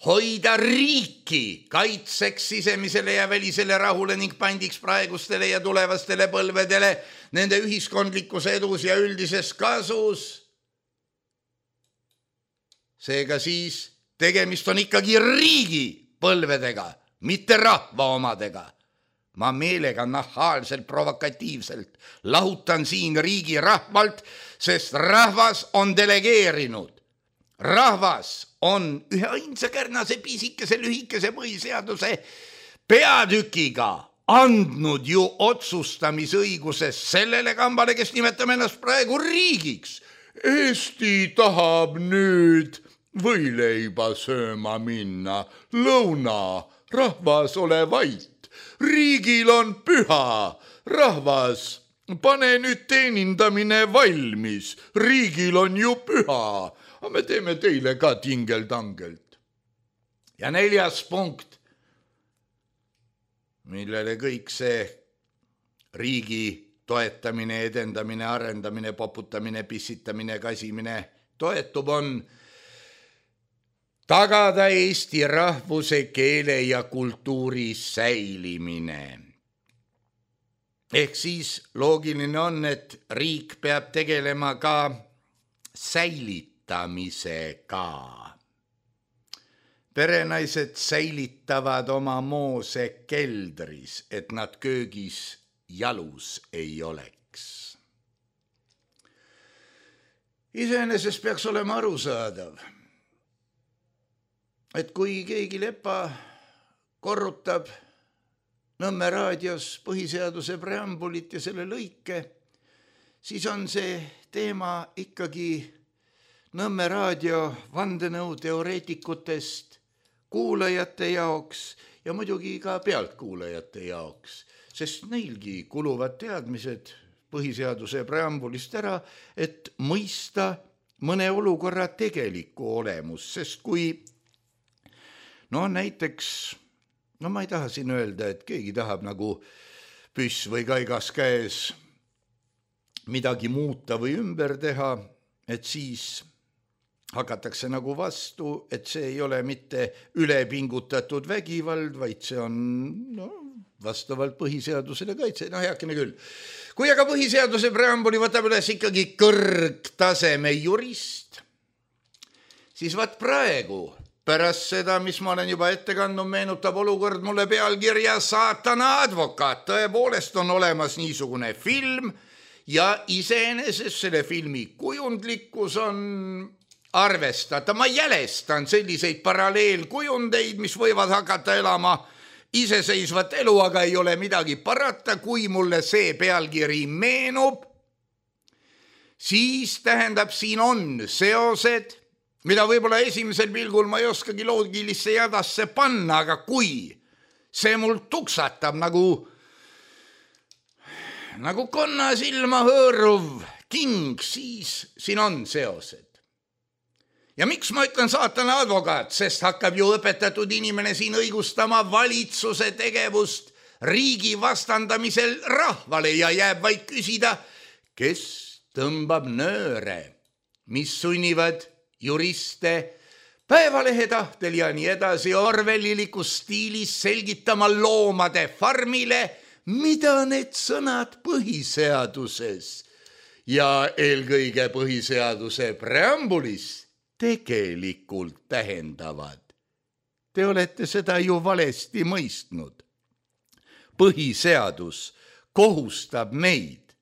hoida riiki kaitseks sisemisele ja välisele rahule ning pandiks praegustele ja tulevastele põlvedele nende ühiskondlikus edus ja üldises kasus. Seega siis tegemist on ikkagi riigi põlvedega, mitte rahva omadega. ma meelega nahaalselt provokatiivselt lahutan siin riigi rahvalt, sest rahvas on delegeerinud. Rahvas on ühe ainsa kärnase pisikese lühikese põhiseaduse peatükiga andnud ju otsustamisõiguses sellele kambale, kes nimetame ennast praegu riigiks. Eesti tahab nüüd võileiba sööma minna, lõuna, rahvas ole vait, riigil on püha, rahvas, pane nüüd teenindamine valmis, riigil on ju püha, aga me teeme teile ka tingeldangelt. Ja neljas punkt, millele kõik see riigi toetamine, edendamine, arendamine, poputamine, pissitamine, kasimine toetub, on tagada eesti rahvuse, keele ja kultuuri säilimine. Ehk siis loogiline on, et riik peab tegelema ka säilitamisega. Perenaised säilitavad oma moose keldris, et nad köögis jalus ei oleks. Iseenesest peaks olema arusaadav, et kui keegi lepa korrutab Nõmme raadios põhiseaduse preambulit ja selle lõike, siis on see teema ikkagi Nõmme raadio vandenõu teoreetikutest kuulajate jaoks ja muidugi ka pealtkuulajate jaoks, sest neilgi kuluvad teadmised põhiseaduse preambulist ära, et mõista mõne olukorra tegelikku olemus, sest kui no näiteks, no ma ei taha siin öelda, et keegi tahab nagu püss või kaigas käes midagi muuta või ümber teha, et siis hakatakse nagu vastu, et see ei ole mitte ülepingutatud vägivald, vaid see on no, vastavalt põhiseadusele kaitse. No heakene küll. Kui aga põhiseaduse preambuli võtab üles ikkagi kõrgtaseme jurist, siis vaat praegu pärast seda, mis ma olen juba ette kandnud, meenutab olukord mulle pealkirja Saatana advokaat. Tõepoolest on olemas niisugune film ja iseenesest selle filmi kujundlikkus on arvestada. Ma jälestan selliseid paralleelkujundeid, mis võivad hakata elama iseseisvat elu, aga ei ole midagi parata. Kui mulle see pealkiri meenub, siis tähendab, siin on seosed, mida võib-olla esimesel pilgul ma ei oskagi loogilisse jadasse panna, aga kui see mul tuksatab nagu, nagu konna silma hõõruv king, siis siin on seosed. Ja miks ma ütlen saatana advokaat, sest hakkab ju õpetatud inimene siin õigustama valitsuse tegevust riigi vastandamisel rahvale ja jääb vaid küsida, kes tõmbab nööre, mis sunnivad juriste päevalehe tahtel ja nii edasi orwellilikus stiilis selgitama loomade farmile, mida need sõnad põhiseaduses ja eelkõige põhiseaduse preambulis tegelikult tähendavad. Te olete seda ju valesti mõistnud. Põhiseadus kohustab meid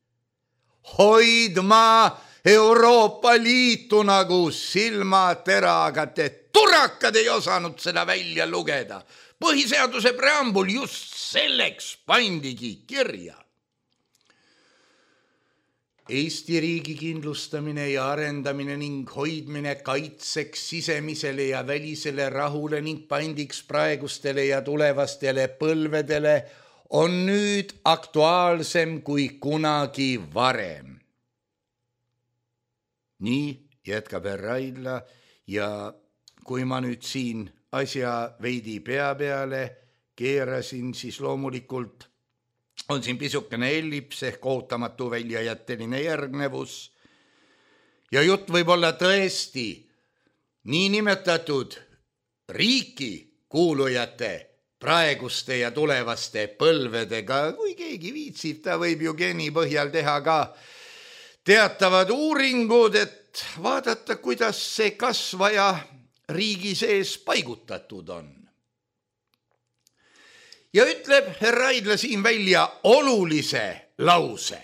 hoidma Euroopa Liitu nagu silmateraga. Te turakad ei osanud seda välja lugeda. Põhiseaduse preambul just selleks pandigi kirja. Eesti riigi kindlustamine ja arendamine ning hoidmine kaitseks sisemisele ja välisele rahule ning pandiks praegustele ja tulevastele põlvedele on nüüd aktuaalsem kui kunagi varem. Nii jätkab härra Raidla ja kui ma nüüd siin asja veidi pea peale keerasin, siis loomulikult on siin pisukene ellips ehk ootamatu väljajätteline järgnevus ja jutt võib olla tõesti nii nimetatud riiki kuulujate praeguste ja tulevaste põlvedega, kui keegi viitsib, ta võib ju geeni põhjal teha ka teatavad uuringud, et vaadata, kuidas see kasvaja riigi sees paigutatud on. ja ütleb härra Raidla siin välja olulise lause.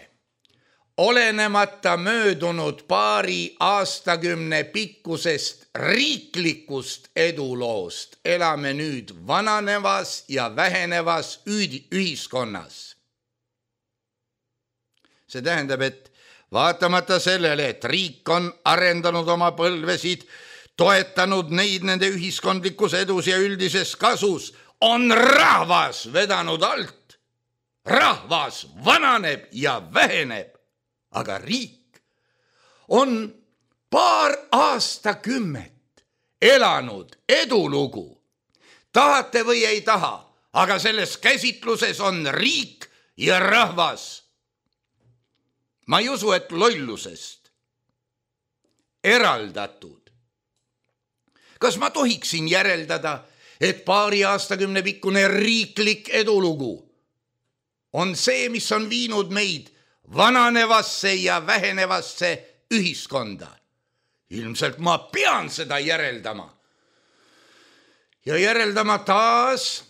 Olenemata möödunud paari aastakümne pikkusest riiklikust eduloost elame nüüd vananevas ja vähenevas ühiskonnas. See tähendab, et vaatamata sellele, et riik on arendanud oma põlvesid, toetanud neid nende ühiskondlikus edus ja üldises kasus, on rahvas vedanud alt. Rahvas vananeb ja väheneb, aga riik on paar aastakümmet elanud edulugu. Tahate või ei taha, aga selles käsitluses on riik ja rahvas. Ma ei usu, et lollusest eraldatud. Kas ma tohiksin järeldada, et paari aastakümne pikkune riiklik edulugu on see, mis on viinud meid vananevasse ja vähenevasse ühiskonda? Ilmselt ma pean seda järeldama. Ja järeldama taas,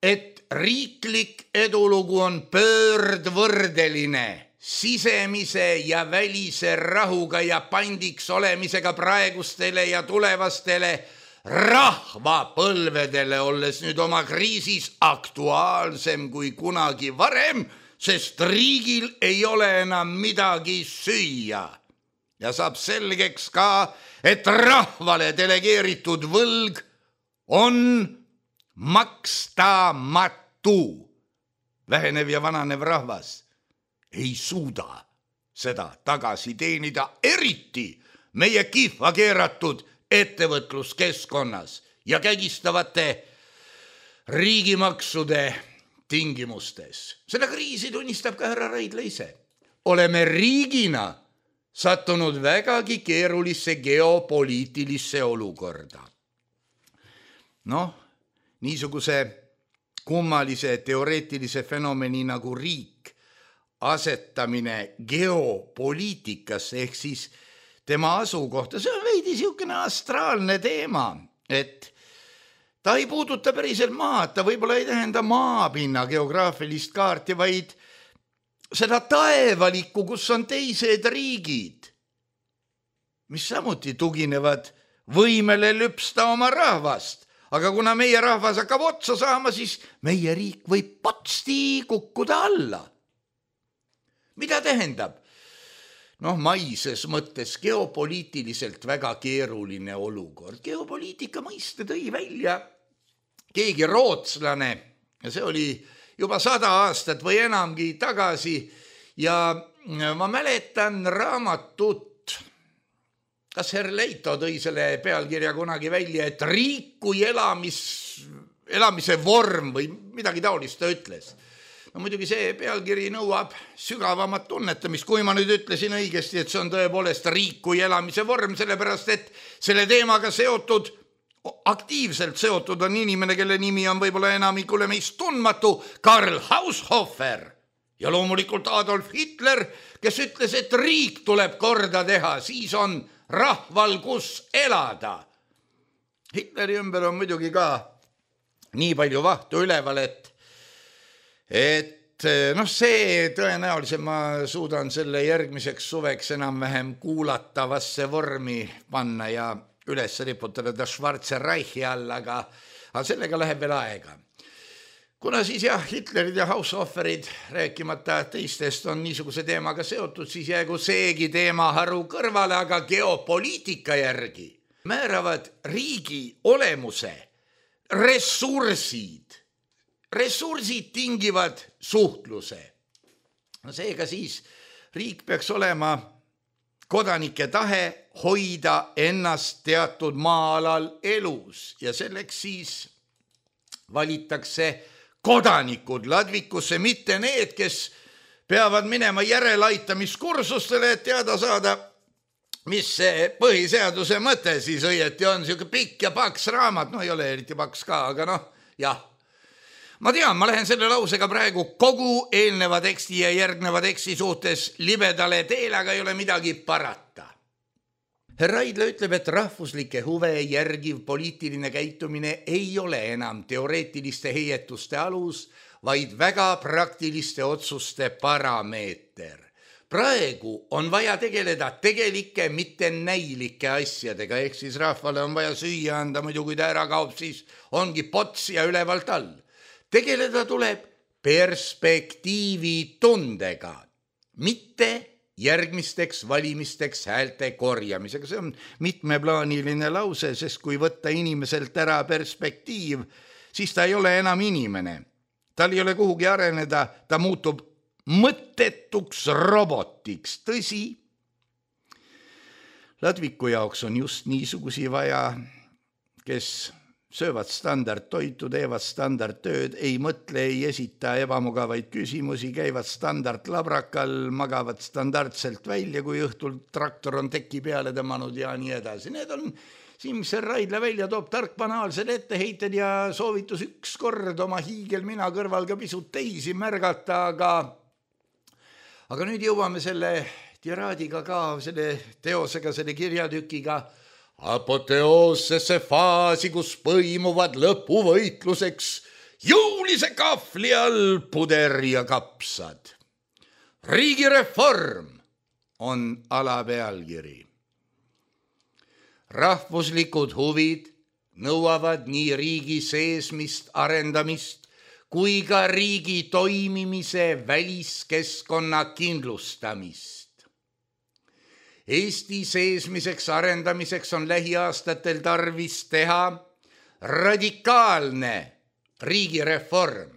et riiklik edulugu on pöördvõrdeline sisemise ja välise rahuga ja pandiks olemisega praegustele ja tulevastele rahvapõlvedele, olles nüüd oma kriisis aktuaalsem kui kunagi varem, sest riigil ei ole enam midagi süüa. Ja saab selgeks ka, et rahvale delegeeritud võlg on makstamatu. Vähenev ja vananev rahvas ei suuda seda tagasi teenida, eriti meie kihva keeratud ettevõtluskeskkonnas ja kägistavate riigimaksude tingimustes. Seda kriisi tunnistab ka härra Raidla ise. Oleme riigina sattunud vägagi keerulisse geopoliitilisse olukorda. Noh, niisuguse kummalise teoreetilise fenomeni nagu riik asetamine geopoliitikasse ehk siis tema asukohta, see on veidi siukene astraalne teema, et ta ei puuduta päriselt maad, ta võib-olla ei tähenda maapinna geograafilist kaarti, vaid seda taevalikku, kus on teised riigid, mis samuti tuginevad võimele lüpsta oma rahvast. Aga kuna meie rahvas hakkab otsa saama, siis meie riik võib potsti kukkuda alla. Mida tähendab? Noh, maises mõttes geopoliitiliselt väga keeruline olukord. Geopoliitika mõiste tõi välja keegi rootslane, ja see oli juba sada aastat või enamgi tagasi, ja ma mäletan raamatut, kas Herr Leito tõi selle pealkirja kunagi välja, et riik kui elamis, elamise vorm või midagi taolist ta ütles. No muidugi see pealkiri nõuab sügavamat tunnetamist, kui ma nüüd ütlesin õigesti, et see on tõepoolest riik kui elamise vorm, sellepärast et selle teemaga seotud, aktiivselt seotud on inimene, kelle nimi on võib-olla enamikule meist tundmatu, Karl Haushofer ja loomulikult Adolf Hitler, kes ütles, et riik tuleb korda teha, siis on rahval kus elada. Hitleri ümber on muidugi ka nii palju vahtu üleval, et et noh, see tõenäoliselt ma suudan selle järgmiseks suveks enam-vähem kuulatavasse vormi panna ja üles riputada ta Schwarze Reichi all, aga, aga sellega läheb veel aega. Kuna siis jah, Hitlerid ja Haushoferid, rääkimata teistest, on niisuguse teemaga seotud, siis jäägu seegi teema haru kõrvale, aga geopoliitika järgi määravad riigi olemuse ressursid. Ressursid tingivad suhtluse. Seega siis riik peaks olema kodanike tahe hoida ennast teatud maa-alal elus ja selleks siis valitakse kodanikud ladvikusse, mitte need, kes peavad minema järelaitamiskursustele, et teada saada, mis see põhiseaduse mõte siis õieti on, siuke pikk ja paks raamat, no ei ole eriti paks ka, aga noh, jah. Ma tean, ma lähen selle lausega praegu kogu eelneva teksti ja järgneva teksti suhtes libedale teele, aga ei ole midagi parata. Härra Raidla ütleb, et rahvuslike huve järgiv poliitiline käitumine ei ole enam teoreetiliste heietuste alus, vaid väga praktiliste otsuste parameeter. Praegu on vaja tegeleda tegelike, mitte näilike asjadega, ehk siis rahvale on vaja süüa anda, muidu kui ta ära kaob, siis ongi pots ja ülevalt all. Tegeleda tuleb perspektiivi tundega, mitte järgmisteks valimisteks häälte korjamisega. See on mitmeplaaniline lause, sest kui võtta inimeselt ära perspektiiv, siis ta ei ole enam inimene. Tal ei ole kuhugi areneda, ta muutub mõttetuks robotiks. Tõsi, Ladviku jaoks on just niisugusi vaja, kes söövad standardtoitu, teevad standardtööd, ei mõtle, ei esita ebamugavaid küsimusi, käivad standardlabrakal, magavad standardselt välja, kui õhtul traktor on teki peale tõmmanud ja nii edasi. Need on siin, mis Raidla välja toob, tark banaalsed etteheited ja soovitus üks kord oma hiigel mina kõrval ka pisut teisi märgata, aga, aga nüüd jõuame selle tiraadiga ka, selle teosega, selle kirjatükiga apoteoossesse faasi, kus põimuvad lõpuvõitluseks jõulise kahvli all puder ja kapsad. Riigireform on alapealkiri. Rahvuslikud huvid nõuavad nii riigi seesmist arendamist kui ka riigi toimimise väliskeskkonna kindlustamist. Eesti seesmiseks arendamiseks on lähiaastatel tarvis teha radikaalne riigireform,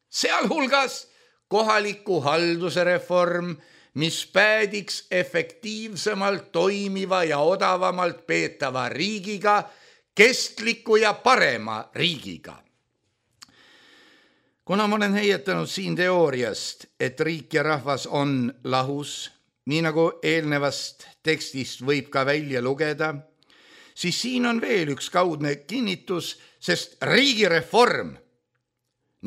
sealhulgas kohaliku halduse reform, mis päädiks efektiivsemalt toimiva ja odavamalt peetava riigiga, kestliku ja parema riigiga. Kuna ma olen heietanud siin teooriast, et riik ja rahvas on lahus, nii nagu eelnevast tekstist võib ka välja lugeda, siis siin on veel üks kaudne kinnitus, sest riigireform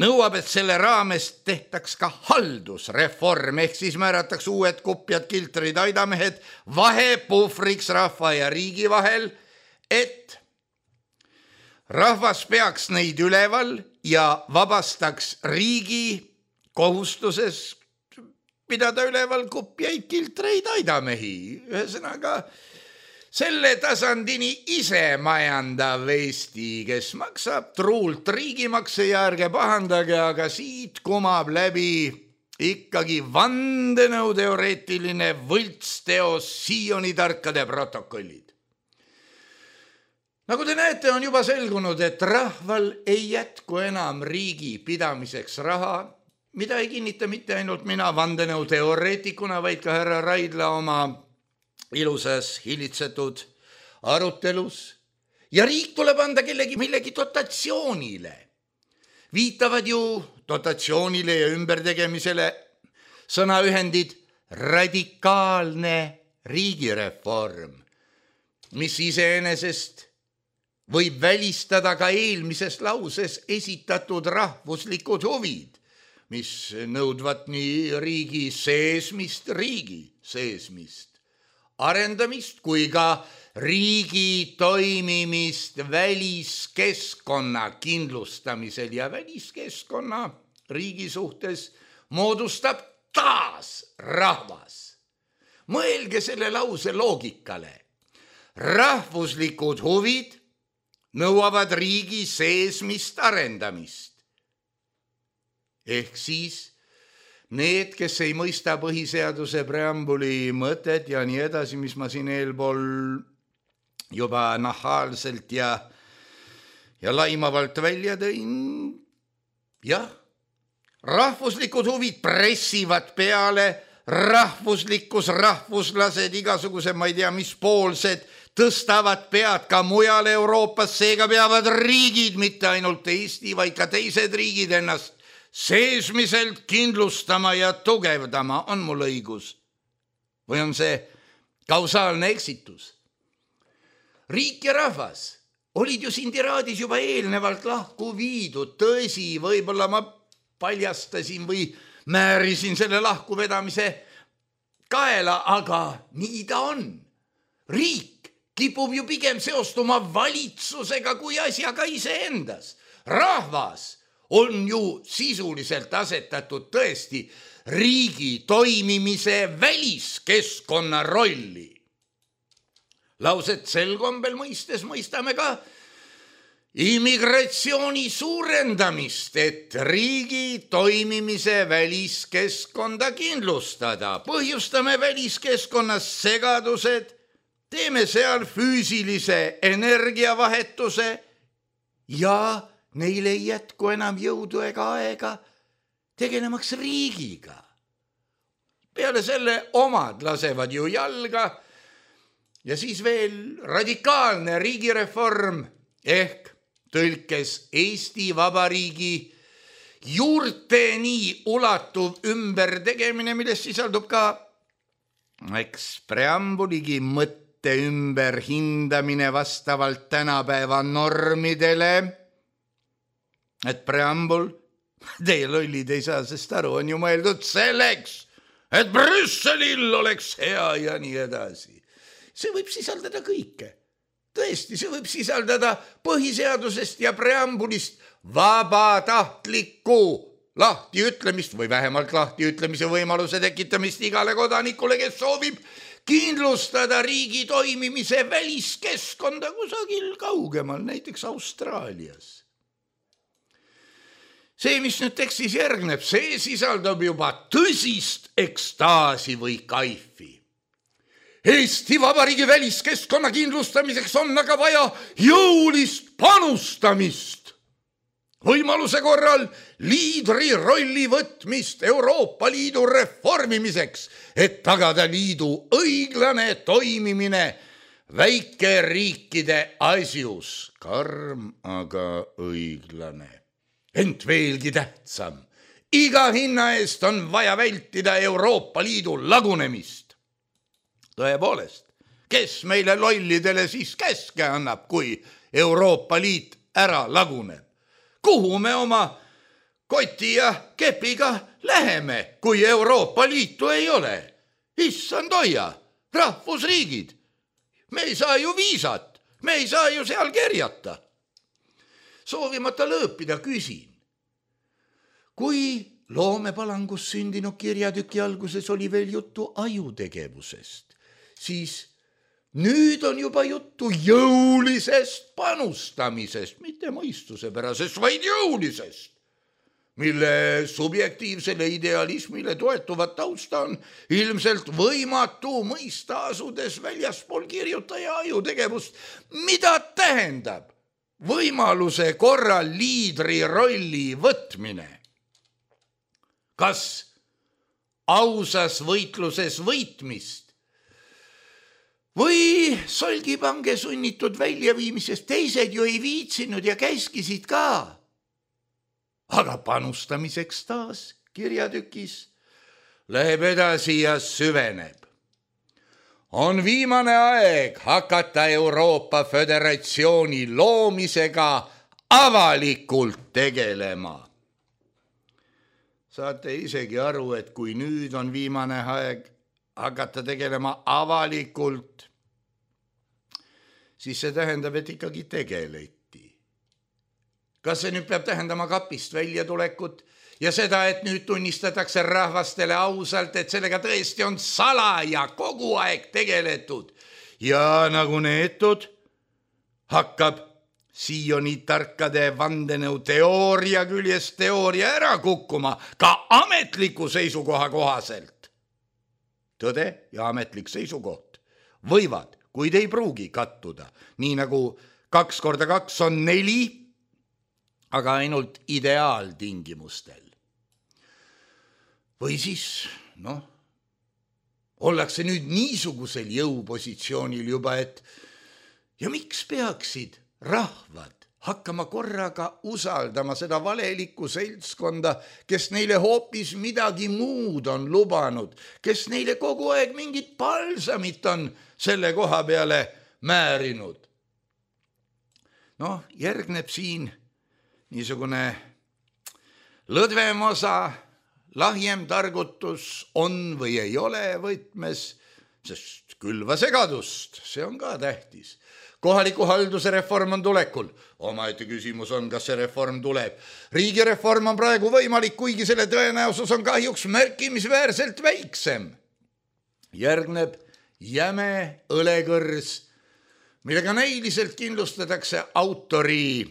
nõuab, et selle raames tehtaks ka haldusreform, ehk siis määrataks uued kupjad, kiltrid, aidamehed vahepuhvriks rahva ja riigi vahel, et rahvas peaks neid üleval ja vabastaks riigi kohustuses pidada üleval kupjaid, kiltreid, aidamehi. Ühesõnaga, selle tasandini ise majandav Eesti, kes maksab truult riigimakse ja ärge pahandage, aga siit kumab läbi ikkagi vandenõuteoreetiline võltsteos Sioni tarkade protokollid. Nagu te näete, on juba selgunud, et rahval ei jätku enam riigi pidamiseks raha, mida ei kinnita mitte ainult mina vandenõuteoreetikuna, vaid ka härra Raidla oma ilusas hilitsetud arutelus. Ja riik tuleb anda kellegi millegi dotatsioonile. Viitavad ju dotatsioonile ja ümbertegemisele sõnaühendid radikaalne riigireform, mis iseenesest võib välistada ka eelmises lauses esitatud rahvuslikud huvid, mis nõudvat nii riigi seesmist, riigi seesmist, arendamist kui ka riigi toimimist väliskeskkonna kindlustamisel ja väliskeskkonna riigi suhtes moodustab taas rahvas. Mõelge selle lause loogikale. Rahvuslikud huvid nõuavad riigi seesmist arendamist. Ehk siis need, kes ei mõista põhiseaduse preambuli mõtet ja nii edasi, mis ma siin eelpool juba nahaalselt ja, ja laimavalt välja tõin. Jah, rahvuslikud huvid pressivad peale, rahvuslikkus, rahvuslased, igasuguse, ma ei tea, mis poolsed, tõstavad pead ka mujal Euroopas, seega peavad riigid, mitte ainult Eesti, vaid ka teised riigid ennast seesmiselt kindlustama ja tugevdama. On mul õigus? Või on see kausaalne eksitus? Riik ja rahvas olid ju siin tiraadis juba eelnevalt lahku viidud. Tõsi, võib-olla ma paljastasin või määrisin selle lahkuvedamise kaela, aga nii ta on. Riik kipub ju pigem seostuma valitsusega kui asjaga iseendas. Rahvas on ju sisuliselt asetatud tõesti riigi toimimise väliskeskkonna rolli. Lauset sel kombel mõistes mõistame ka immigratsiooni suurendamist, et riigi toimimise väliskeskkonda kindlustada. Põhjustame väliskeskkonnas segadused, teeme seal füüsilise energiavahetuse ja neil ei jätku enam jõudu ega aega tegelemaks riigiga. Peale selle omad lasevad ju jalga ja siis veel radikaalne riigireform ehk tõlkes Eesti Vabariigi juurteni ulatuv ümbertegemine, milles sisaldub ka eks preambuligi mõtte ümberhindamine vastavalt tänapäeva normidele. Et preambul, teie lollid ei saa, sest aru, on ju mõeldud selleks, et Brüsselil oleks hea ja nii edasi. See võib sisaldada kõike. Tõesti, see võib sisaldada põhiseadusest ja preambulist vabatahtlikku lahtiütlemist või vähemalt lahtiütlemise võimaluse tekitamist igale kodanikule, kes soovib kindlustada riigi toimimise väliskeskkonda kusagil kaugemal, näiteks Austraalias. See, mis nüüd tekstis järgneb, see sisaldab juba tõsist ekstaasi või kaifi. Eesti Vabariigi väliskeskkonna kindlustamiseks on aga vaja jõulist panustamist. Võimaluse korral liidri rolli võtmist Euroopa Liidu reformimiseks, et tagada liidu õiglane toimimine väikeriikide asjus. Karm, aga õiglane. Ent veelgi tähtsam, iga hinna eest on vaja vältida Euroopa Liidu lagunemist. Tõepoolest, kes meile lollidele siis käske annab, kui Euroopa Liit ära laguneb? Kuhu me oma koti ja kepiga läheme, kui Euroopa Liitu ei ole? Issand hoia, rahvusriigid. Me ei saa ju viisat, me ei saa ju seal kerjata. Soovimata lõõpida küsin. Kui loomepalangus sündinud kirjatüki alguses oli veel juttu ajutegevusest, siis nüüd on juba juttu jõulisest panustamisest, mitte mõistusepärasest, vaid jõulisest, mille subjektiivsele idealismile toetuvat tausta on ilmselt võimatu mõista asudes väljaspool kirjutaja ajutegevust. Mida tähendab võimaluse korral liidri rolli võtmine? Kas ausas võitluses võitmist või solgipange sunnitud väljaviimisest? Teised ju ei viitsinud ja käskisid ka. Aga panustamiseks taas kirjatükis läheb edasi ja süveneb. On viimane aeg hakata Euroopa Föderatsiooni loomisega avalikult tegelema. Saate isegi aru, et kui nüüd on viimane aeg hakata tegelema avalikult, siis see tähendab, et ikkagi tegeleti. Kas see nüüd peab tähendama kapist väljatulekut ja seda, et nüüd tunnistatakse rahvastele ausalt, et sellega tõesti on salaja kogu aeg tegeletud ja nagu neetud hakkab Sioni tarkade vandenõu teooria küljest teooria ära kukkuma ka ametliku seisukoha kohaselt. Tõde ja ametlik seisukoht võivad, kuid ei pruugi kattuda, nii nagu kaks korda kaks on neli, aga ainult ideaaltingimustel. Või siis, noh, ollakse nüüd niisugusel jõupositsioonil juba, et ja miks peaksid rahvad hakkama korraga usaldama seda valelikku seltskonda, kes neile hoopis midagi muud on lubanud, kes neile kogu aeg mingit palsamit on selle koha peale määrinud. Noh, järgneb siin niisugune lõdvem osa, lahjem targutus on või ei ole võtmes sest külva segadust, see on ka tähtis. Kohaliku halduse reform on tulekul. Omaette küsimus on, kas see reform tuleb. Riigireform on praegu võimalik, kuigi selle tõenäosus on kahjuks märkimisväärselt väiksem. Järgneb jäme õlekõrs, millega näiliselt kindlustatakse autori,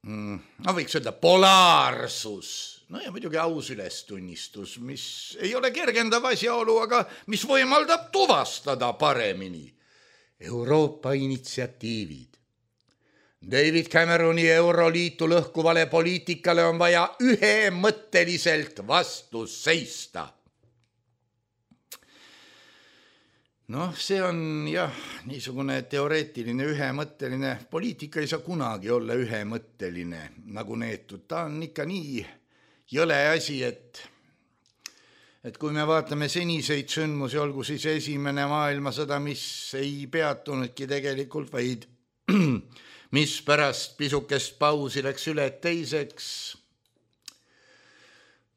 no võiks öelda, polaarsus. No ja muidugi aus ülestunnistus, mis ei ole kergendav asjaolu, aga mis võimaldab tuvastada paremini Euroopa initsiatiivid. David Cameroni Euroliitu lõhkuvale poliitikale on vaja ühemõtteliselt vastu seista. Noh, see on jah, niisugune teoreetiline ühemõtteline. Poliitika ei saa kunagi olla ühemõtteline nagu neetud. Ta on ikka nii jõle asi, et et kui me vaatame seniseid sündmusi, olgu siis esimene maailmasõda, mis ei peatunudki tegelikult, vaid mis pärast pisukest pausi läks üle teiseks.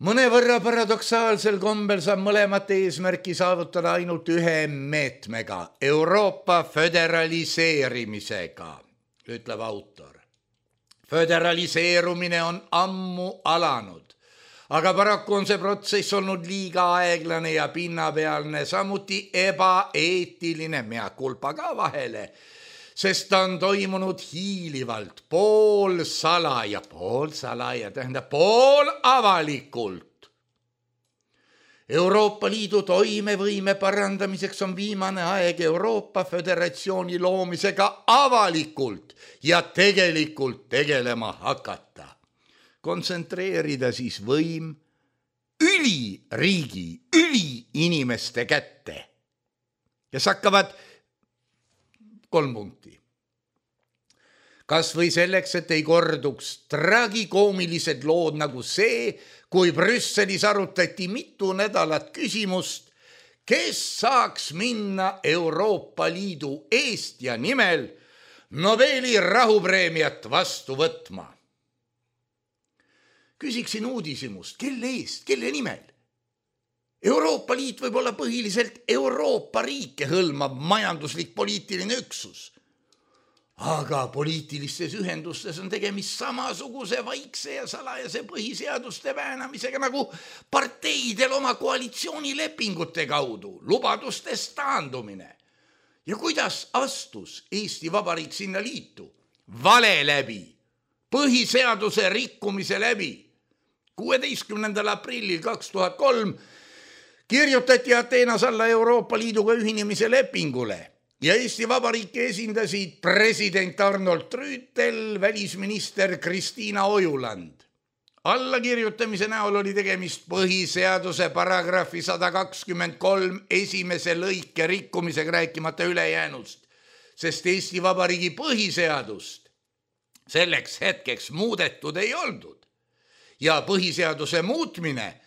Mõnevõrra paradoksaalsel kombel saab mõlemat eesmärki saavutada ainult ühe meetmega, Euroopa föderaliseerimisega, ütleb autor. Föderaliseerumine on ammu alanud. Aga paraku on see protsess olnud liiga aeglane ja pinnapealne, samuti ebaeetiline, mea culpa ka vahele, sest ta on toimunud hiilivalt, pool salaja, pool salaja, tähendab pool avalikult. Euroopa Liidu toimevõime parandamiseks on viimane aeg Euroopa Föderatsiooni loomisega avalikult ja tegelikult tegelema hakata. Kontsentreerida siis võim üliriigi, üliinimeste kätte, kes hakkavad kolm punkti. Kas või selleks, et ei korduks tragikoomilised lood nagu see, kui Brüsselis arutati mitu nädalat küsimust, kes saaks minna Euroopa Liidu eest ja nimel Nobeli rahupreemiat vastu võtma. Küsiksin uudishimust, kelle eest, kelle nimel? Euroopa Liit võib olla põhiliselt Euroopa riike hõlmav majanduslik poliitiline üksus. Aga poliitilistes ühendustes on tegemist samasuguse vaikse ja salajase põhiseaduste väänamisega nagu parteidel oma koalitsioonilepingute kaudu, lubadustest taandumine. Ja kuidas astus Eesti Vabariik sinna liitu? Vale läbi, põhiseaduse rikkumise läbi. kuueteistkümnendal aprillil kaks tuhat kolm kirjutati Ateenas alla Euroopa Liiduga ühinemise lepingule ja Eesti Vabariiki esindasid president Arnold Rüütel, välisminister Kristiina Ojuland. Allakirjutamise näol oli tegemist põhiseaduse paragrahvi sada kakskümmend kolm esimese lõike rikkumisega, rääkimata ülejäänust, sest Eesti Vabariigi põhiseadust selleks hetkeks muudetud ei oldud. Ja põhiseaduse muutmine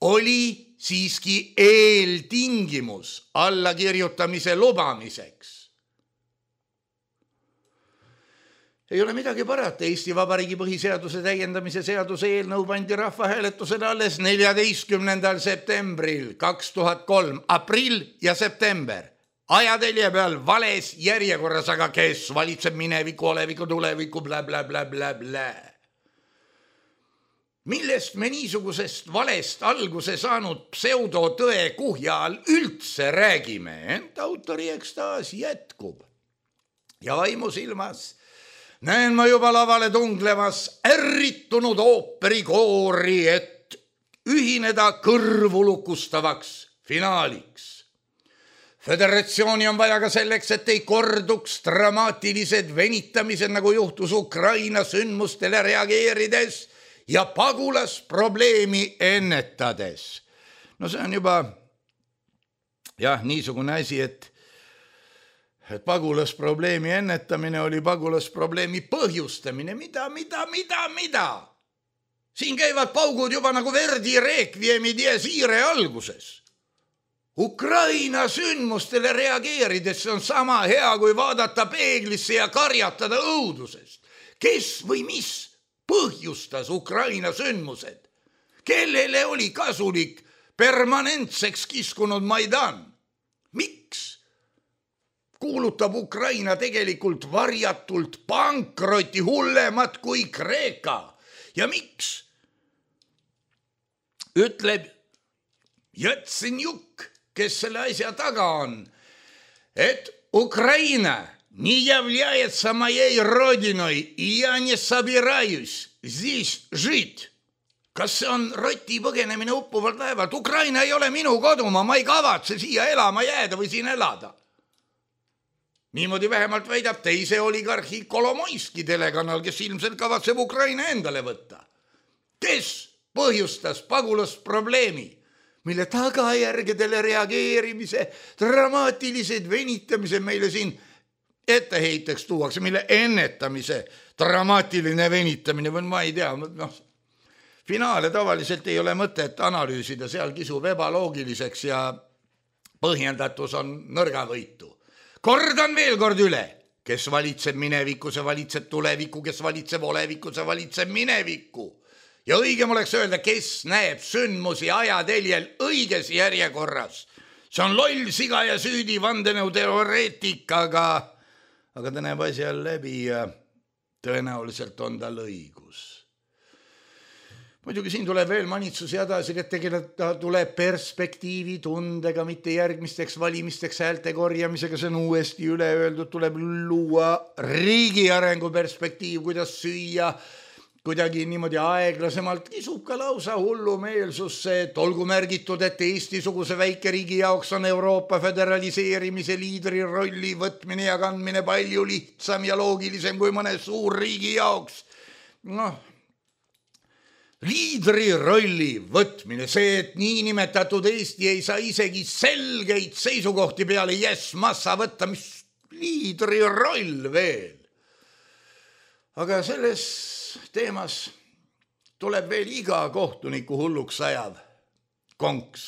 oli siiski eeltingimus allakirjutamise lubamiseks. Ei ole midagi parata, Eesti Vabariigi põhiseaduse täiendamise seaduse eelnõu pandi rahvahääletusele alles neljateistkümnendal septembril kaks tuhat kolm, aprill ja september. Ajatelje peal vales järjekorras, aga kes valitseb mineviku, oleviku, tuleviku, blä, blä, blä, blä, blä. Millest me niisugusest valest alguse saanud pseudotõe kuhja all üldse räägime, ent autori ekstaas jätkub. Ja vaimu silmas näen ma juba lavale tunglemas ärritunud ooperikoori, et ühineda kõrvulukustavaks finaaliks. Föderatsiooni on vaja ka selleks, et ei korduks dramaatilised venitamised, nagu juhtus Ukraina sündmustele reageerides ja pagulasprobleemi ennetades. No see on juba jah, niisugune asi, et, et pagulasprobleemi ennetamine oli pagulasprobleemi põhjustamine. Mida, mida, mida, mida? Siin käivad paugud juba nagu Verdi Requiemi dies irae alguses. Ukraina sündmustele reageerides on sama hea, kui vaadata peeglisse ja karjatada õudusest. Kes või mis põhjustas Ukraina sündmused? Kellele oli kasulik permanentseks kiskunud Maidan? Miks? kuulutab Ukraina tegelikult varjatult pankroti hullemat kui Kreeka. Ja miks? Ütleb Jatsenjuk, kes selle asja taga on, et Ukraina не является моей родиной, и я не собираюсь здесь жить. Kas see on roti põgenemine uppuvalt laevalt? Ukraina ei ole minu kodumaa, ma ei kavatse siia elama jääda või siin elada. Niimoodi vähemalt väidab teise oligarhi Kolomoiski telekanal, kes ilmselt kavatseb Ukraina endale võtta. Kes põhjustas pagulasprobleemi, mille tagajärgedele reageerimise, dramaatilised venitamise meile siin etteheiteks tuuakse, mille ennetamise dramaatiline venitamine, või ma ei tea, noh, finaale tavaliselt ei ole mõtet analüüsida, seal kisub ebaloogiliseks ja põhjendatus on nõrgavõitu. Kordan veel kord üle, kes valitseb minevikku, see valitseb tulevikku, kes valitseb olevikku, see valitseb minevikku. Ja õigem oleks öelda, kes näeb sündmusi ajateljel õiges järjekorras. See on loll, siga ja süüdi vandenõu teoreetikaga, aga ta näeb asjal läbi ja tõenäoliselt on tal õigus. Muidugi siin tuleb veel manitsusi edasi, et tegelikult tuleb perspektiivi tundega, mitte järgmisteks valimisteks häälte korjamisega, see on uuesti üle öeldud, tuleb luua riigi arengu perspektiiv, kuidas süüa kuidagi niimoodi aeglasemalt, kisub ka lausa hullumeelsusse, et olgu märgitud, et Eesti-suguse väikeriigi jaoks on Euroopa föderaliseerimise liidri rolli võtmine ja kandmine palju lihtsam ja loogilisem kui mõne suur riigi jaoks. Noh, liidri rolli võtmine, see, et niinimetatud Eesti ei saa isegi selgeid seisukohti peale yes, massa võtta, mis liidri roll veel. Aga selles teemas tuleb veel iga kohtuniku hulluks ajav konks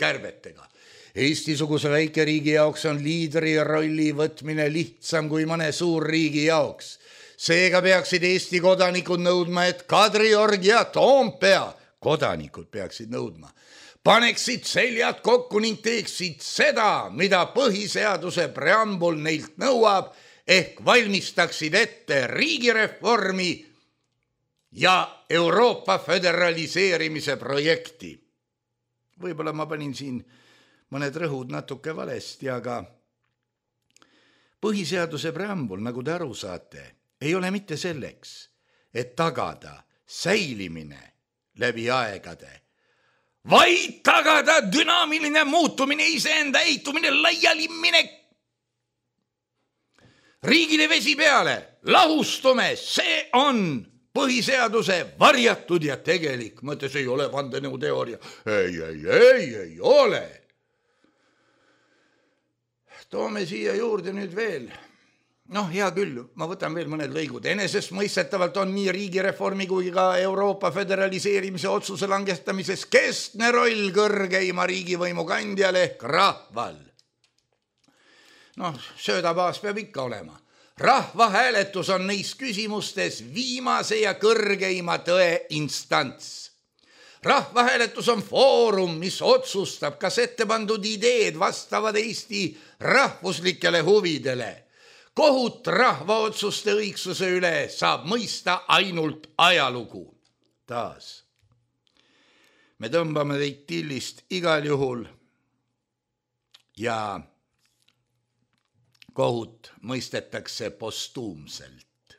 kärbetega. Eesti-suguse väikeriigi jaoks on liidri rolli võtmine lihtsam kui mõne suur riigi jaoks. Seega peaksid Eesti kodanikud nõudma, et Kadriorg ja Toompea kodanikud peaksid nõudma. Paneksid seljad kokku ning teeksid seda, mida põhiseaduse preambul neilt nõuab, ehk valmistaksid ette riigireformi ja Euroopa föderaliseerimise projekti. Võib-olla ma panin siin mõned rõhud natuke valesti, aga põhiseaduse preambul, nagu te aru saate, ei ole mitte selleks, et tagada säilimine läbi aegade, vaid tagada dünaamiline muutumine, iseenda eitumine, laialiminek. Riigile vesi peale, lahustume, see on põhiseaduse varjatud ja tegelik mõte, see ei ole vandenõuteooria. Ei, ei, ei, ei ole. Toome siia juurde nüüd veel. Noh, hea küll, ma võtan veel mõned lõigud. Enesest mõistetavalt on nii riigireformi kui ka Euroopa föderaliseerimise otsuse langetamises keskne roll kõrgeima riigivõimu kandjale ehk rahval. Noh, söödabaas peab ikka olema. Rahvahääletus on neis küsimustes viimase ja kõrgeima tõe instants. Rahvahääletus on foorum, mis otsustab, kas ette pandud ideed vastavad Eesti rahvuslikele huvidele. Kohut rahva otsuste õigsuse üle saab mõista ainult ajalugu. Taas. Me tõmbame teid tillist igal juhul ja kohut mõistetakse postuumselt.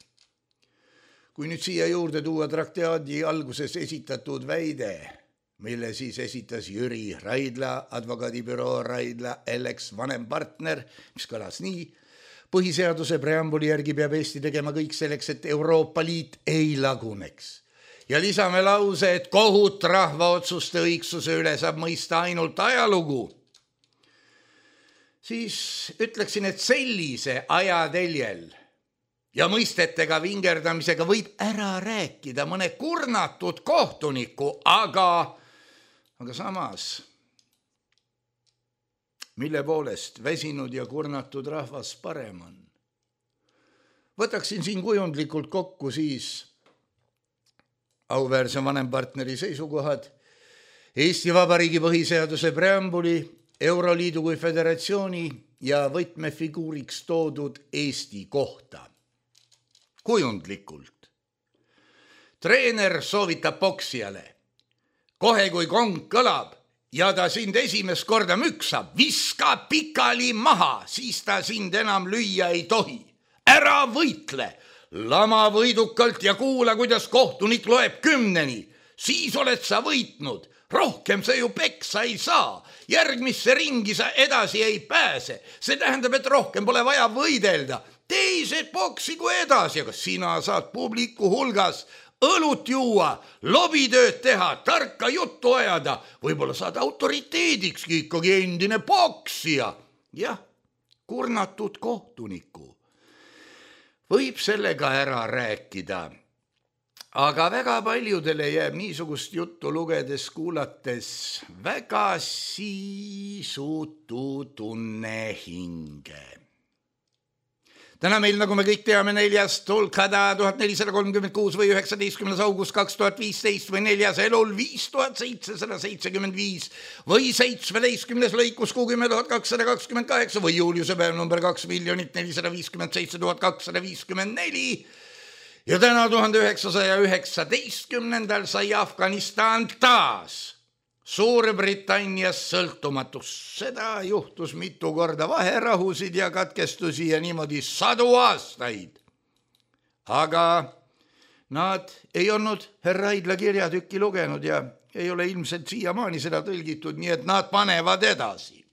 Kui nüüd siia juurde tuua traktaadi alguses esitatud väide, mille siis esitas Jüri Raidla, advokaadibüroo Raidla L X vanem partner, mis kõlas nii: põhiseaduse preambuli järgi peab Eesti tegema kõik selleks, et Euroopa Liit ei laguneks. Ja lisame lause, et kohut rahva otsuste õigsuse üle saab mõista ainult ajalugu. Siis ütleksin, et sellise ajateljel ja mõistetega vingerdamisega võib ära rääkida mõne kurnatud kohtuniku, aga, aga samas, mille poolest väsinud ja kurnatud rahvas parem on. Võtaksin siin kujundlikult kokku siis auväärse vanempartneri seisukohad, Eesti Vabariigi põhiseaduse preambuli, Euroliidu kui föderatsiooni ja võtmefiguuriks toodud Eesti kohta. Kujundlikult. Treener soovitab poksijale. Kohe kui kong kõlab ja ta sind esimest korda müksab, viska pikali maha, siis ta sind enam lüüa ei tohi. Ära võitle, lama võidukalt ja kuula, kuidas kohtunik loeb kümneni. Siis oled sa võitnud, rohkem sa ju peksa ei saa. Järgmisse ringi sa edasi ei pääse. See tähendab, et rohkem pole vaja võidelda. Teised poksigu edasi, aga sina saad publiku hulgas õlut juua, lobitööd teha, tarka juttu ajada. Võib-olla saad autoriteedikski ikkagi endine poksija. Jah, kurnatud kohtuniku. Võib sellega ära rääkida. Aga väga paljudele jääb niisugust juttu lugedes, kuulates väga siisutu tunne hinge. Täna meil, nagu me kõik teame, neljas tulkhada tuhat nelisada kolmkümmend kuus või üheksateistkümnes august kaks tuhat viisteist või neljas elul viis tuhat seitsesada seitsekümmend viis või seitsmeteistkümnes lõikus kuuskümmend tuhat kakssada kakskümmend kaheksa või juuliuse päev number kaks miljonit nelisada viiskümmend seitse tuhat kakssada viiskümmend neli. Ja täna tuhande üheksasaja üheksateistkümnendal sai Afganistan taas Suurbritannias sõltumatus. Seda juhtus mitu korda, vaherahusid ja katkestusi ja niimoodi sadu aastaid. Aga nad ei olnud härra Aidla kirjatükki lugenud ja ei ole ilmselt siiamaani seda tõlgitud, nii et nad panevad edasi.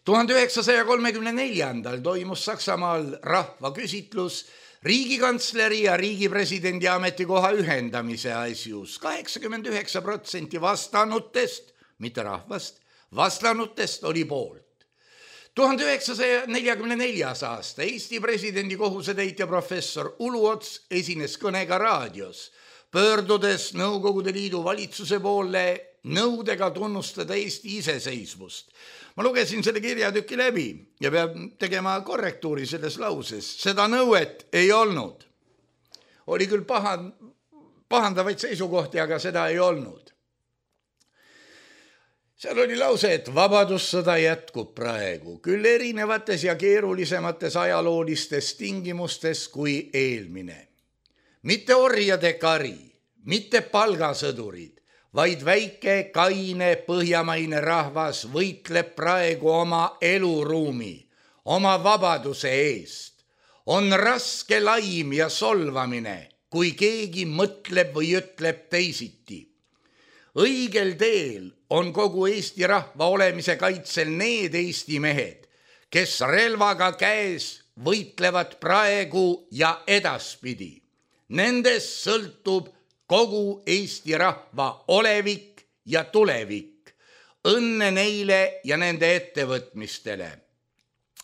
tuhande üheksasaja kolmekümne neljandal toimus Saksamaal rahvaküsitlus riigikantsleri ja riigipresidendi ametikoha ühendamise asjus. kaheksakümmend üheksa protsenti vastanutest, mitte rahvast, vastanutest oli poolt. tuhande üheksasaja neljakümne neljas aasta Eesti presidendi kohusetäitja professor Uluots esines kõnega raadios, pöördudes Nõukogude Liidu valitsuse poole nõudega tunnustada Eesti iseseisvust. Ma lugesin selle kirjatüki läbi ja peab tegema korrektuuri selles lauses. Seda nõuet ei olnud. Oli küll pahan, pahandavaid seisukohti, aga seda ei olnud. Seal oli lause, et vabadussõda jätkub praegu, küll erinevates ja keerulisemates ajaloolistes tingimustes kui eelmine. Mitte orjade kari, mitte palgasõdurid, vaid väike, kaine, põhjamaine rahvas võitleb praegu oma eluruumi, oma vabaduse eest. On raske laim ja solvamine, kui keegi mõtleb või ütleb teisiti. Õigel teel on kogu Eesti rahva olemise kaitsel need Eesti mehed, kes relvaga käes võitlevad praegu ja edaspidi. Nendest sõltub kogu Eesti rahva olevik ja tulevik. Õnne neile ja nende ettevõtmistele.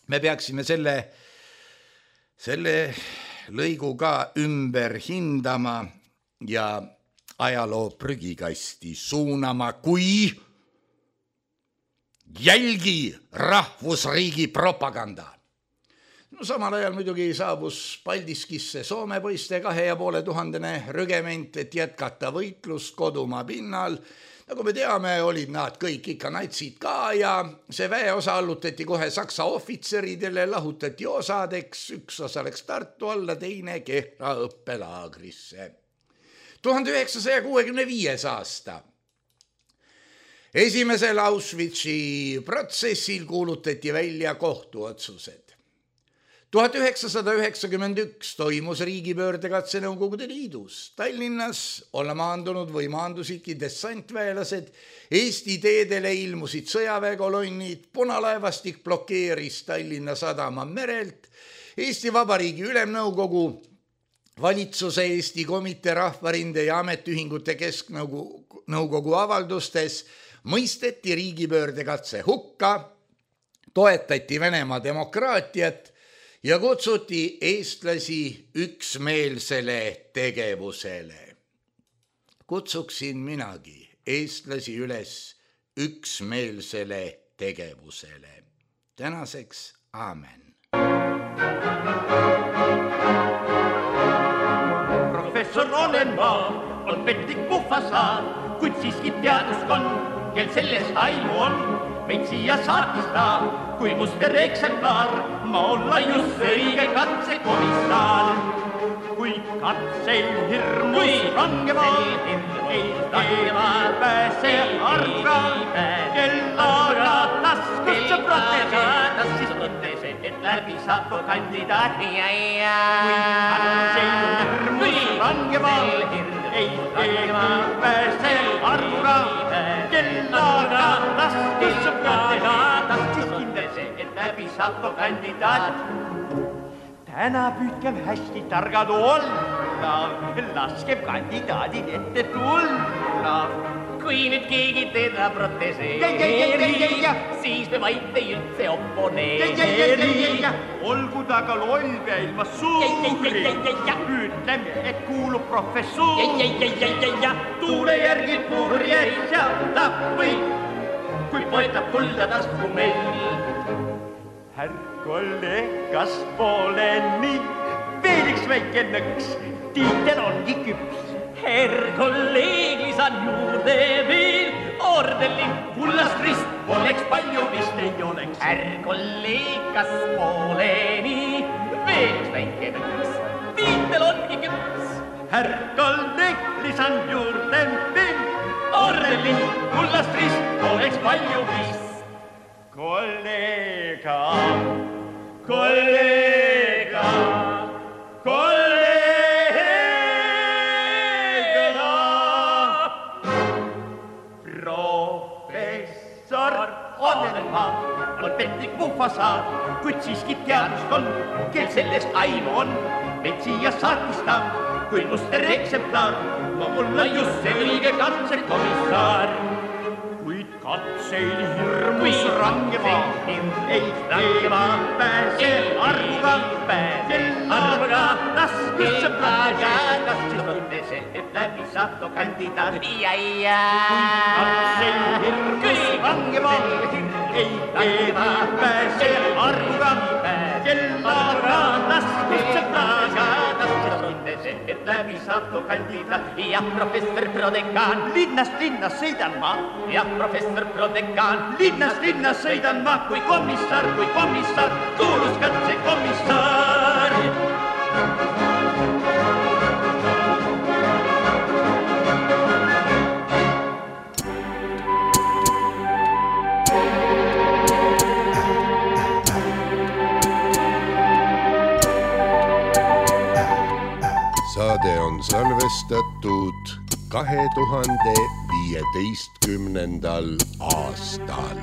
Me peaksime selle, selle lõigu ka ümber hindama ja ajaloo prügikasti suunama kui jälgi rahvusriigi propaganda. No, samal ajal muidugi saabus Paldiskisse Soome poiste kahe ja poole tuhandene rügement, et jätkata võitlust kodumaa pinnal. Nagu me teame, olid nad kõik ikka natsid ka ja see väeosa allutati kohe saksa ohvitseridele, lahutati osadeks, üks osa läks Tartu alla, teine Kehra õppelaagrisse. tuhande üheksasaja kuuekümne viies aasta. Esimesel Auschwitzi protsessil kuulutati välja kohtuotsused. tuhat üheksasada üheksakümmend üks toimus riigipöördekatse Nõukogude Liidus. Tallinnas olla maandunud või maandusidki dessantväelased, Eesti teedele ilmusid sõjaväekolonnid, punalaevastik blokeeris Tallinna sadama merelt, Eesti Vabariigi Ülemnõukogu, valitsuse Eesti Komitee, Rahvarinde ja Ametiühingute Kesknõukogu avaldustes mõisteti riigipöördekatse hukka, toetati Venemaa demokraatiat ja kutsuti eestlasi üksmeelsele tegevusele. Kutsuksin minagi eestlasi üles üksmeelsele tegevusele. Tänaseks aamen. Professor olen ma, on petlik puhvasaar, kuid siiski teaduskond, kel sellest aimu on. meid siia saatis ta, kui muster eksemplar, ma olla just õige katsekomissar. Kui katsel hirmus rangeval, ei pääse arga, kellaga taskusse protese, siis protese, et läbi saako kandidaat. Kui katsel hirmus rangeval, ei pääse arga, kellaga taskusse protese, siis kindel see, et läbi saako kandidaat. Täna püüdkem hästi targad olla, laskem kandidaadid ette tulla. Kui nüüd keegi teda proteseeri, siis me vaid ei üldse oponeeri. Olgu ta ka loll ja ilma suuri, ütleme, et kuulub professuuri. Tuule järgi purjed seatab või, kui poetab kulda tasku meil. Härr kolleeg, kas pole nii? Veel üks väike nõks, tiitel ongi küps. Herr kolleeg, lisan juurde veel, ordelin kullast rist, oleks palju vist ei oleks. Herr kolleeg, kas pole nii? Veel üks väike nõks, tiitel ongi küps. Herr kolleeg, lisan juurde veel, ordelin kullast rist, oleks palju vist. Kollega, kollega, kollega. Professor Onelmaa on petlik mufasaad, kuid siiski teaduskond, kel sellest aimu on. Meid siia saatis ta, kui muster eksemplar, ma olla just see õige katsekomissar. Kuid katseil hirmus rangemaa, ei teema pääse arvuga, arvuga taskusse protese, et läbi saatu kandidaat. Kuid katseil hirmus rangemaa, ei teema pääse arvuga, arvuga taskusse protese, et läbi saatu kandidaat. Ja professor Prodekaan, linnast linnas sõidan ma, ja professor Prodekaan, linnast linnas sõidan ma, kui komissar, kui komissar, kuulus katse komissar. Saade on salvestatud kahe tuhande viieteistkümnendal aastal.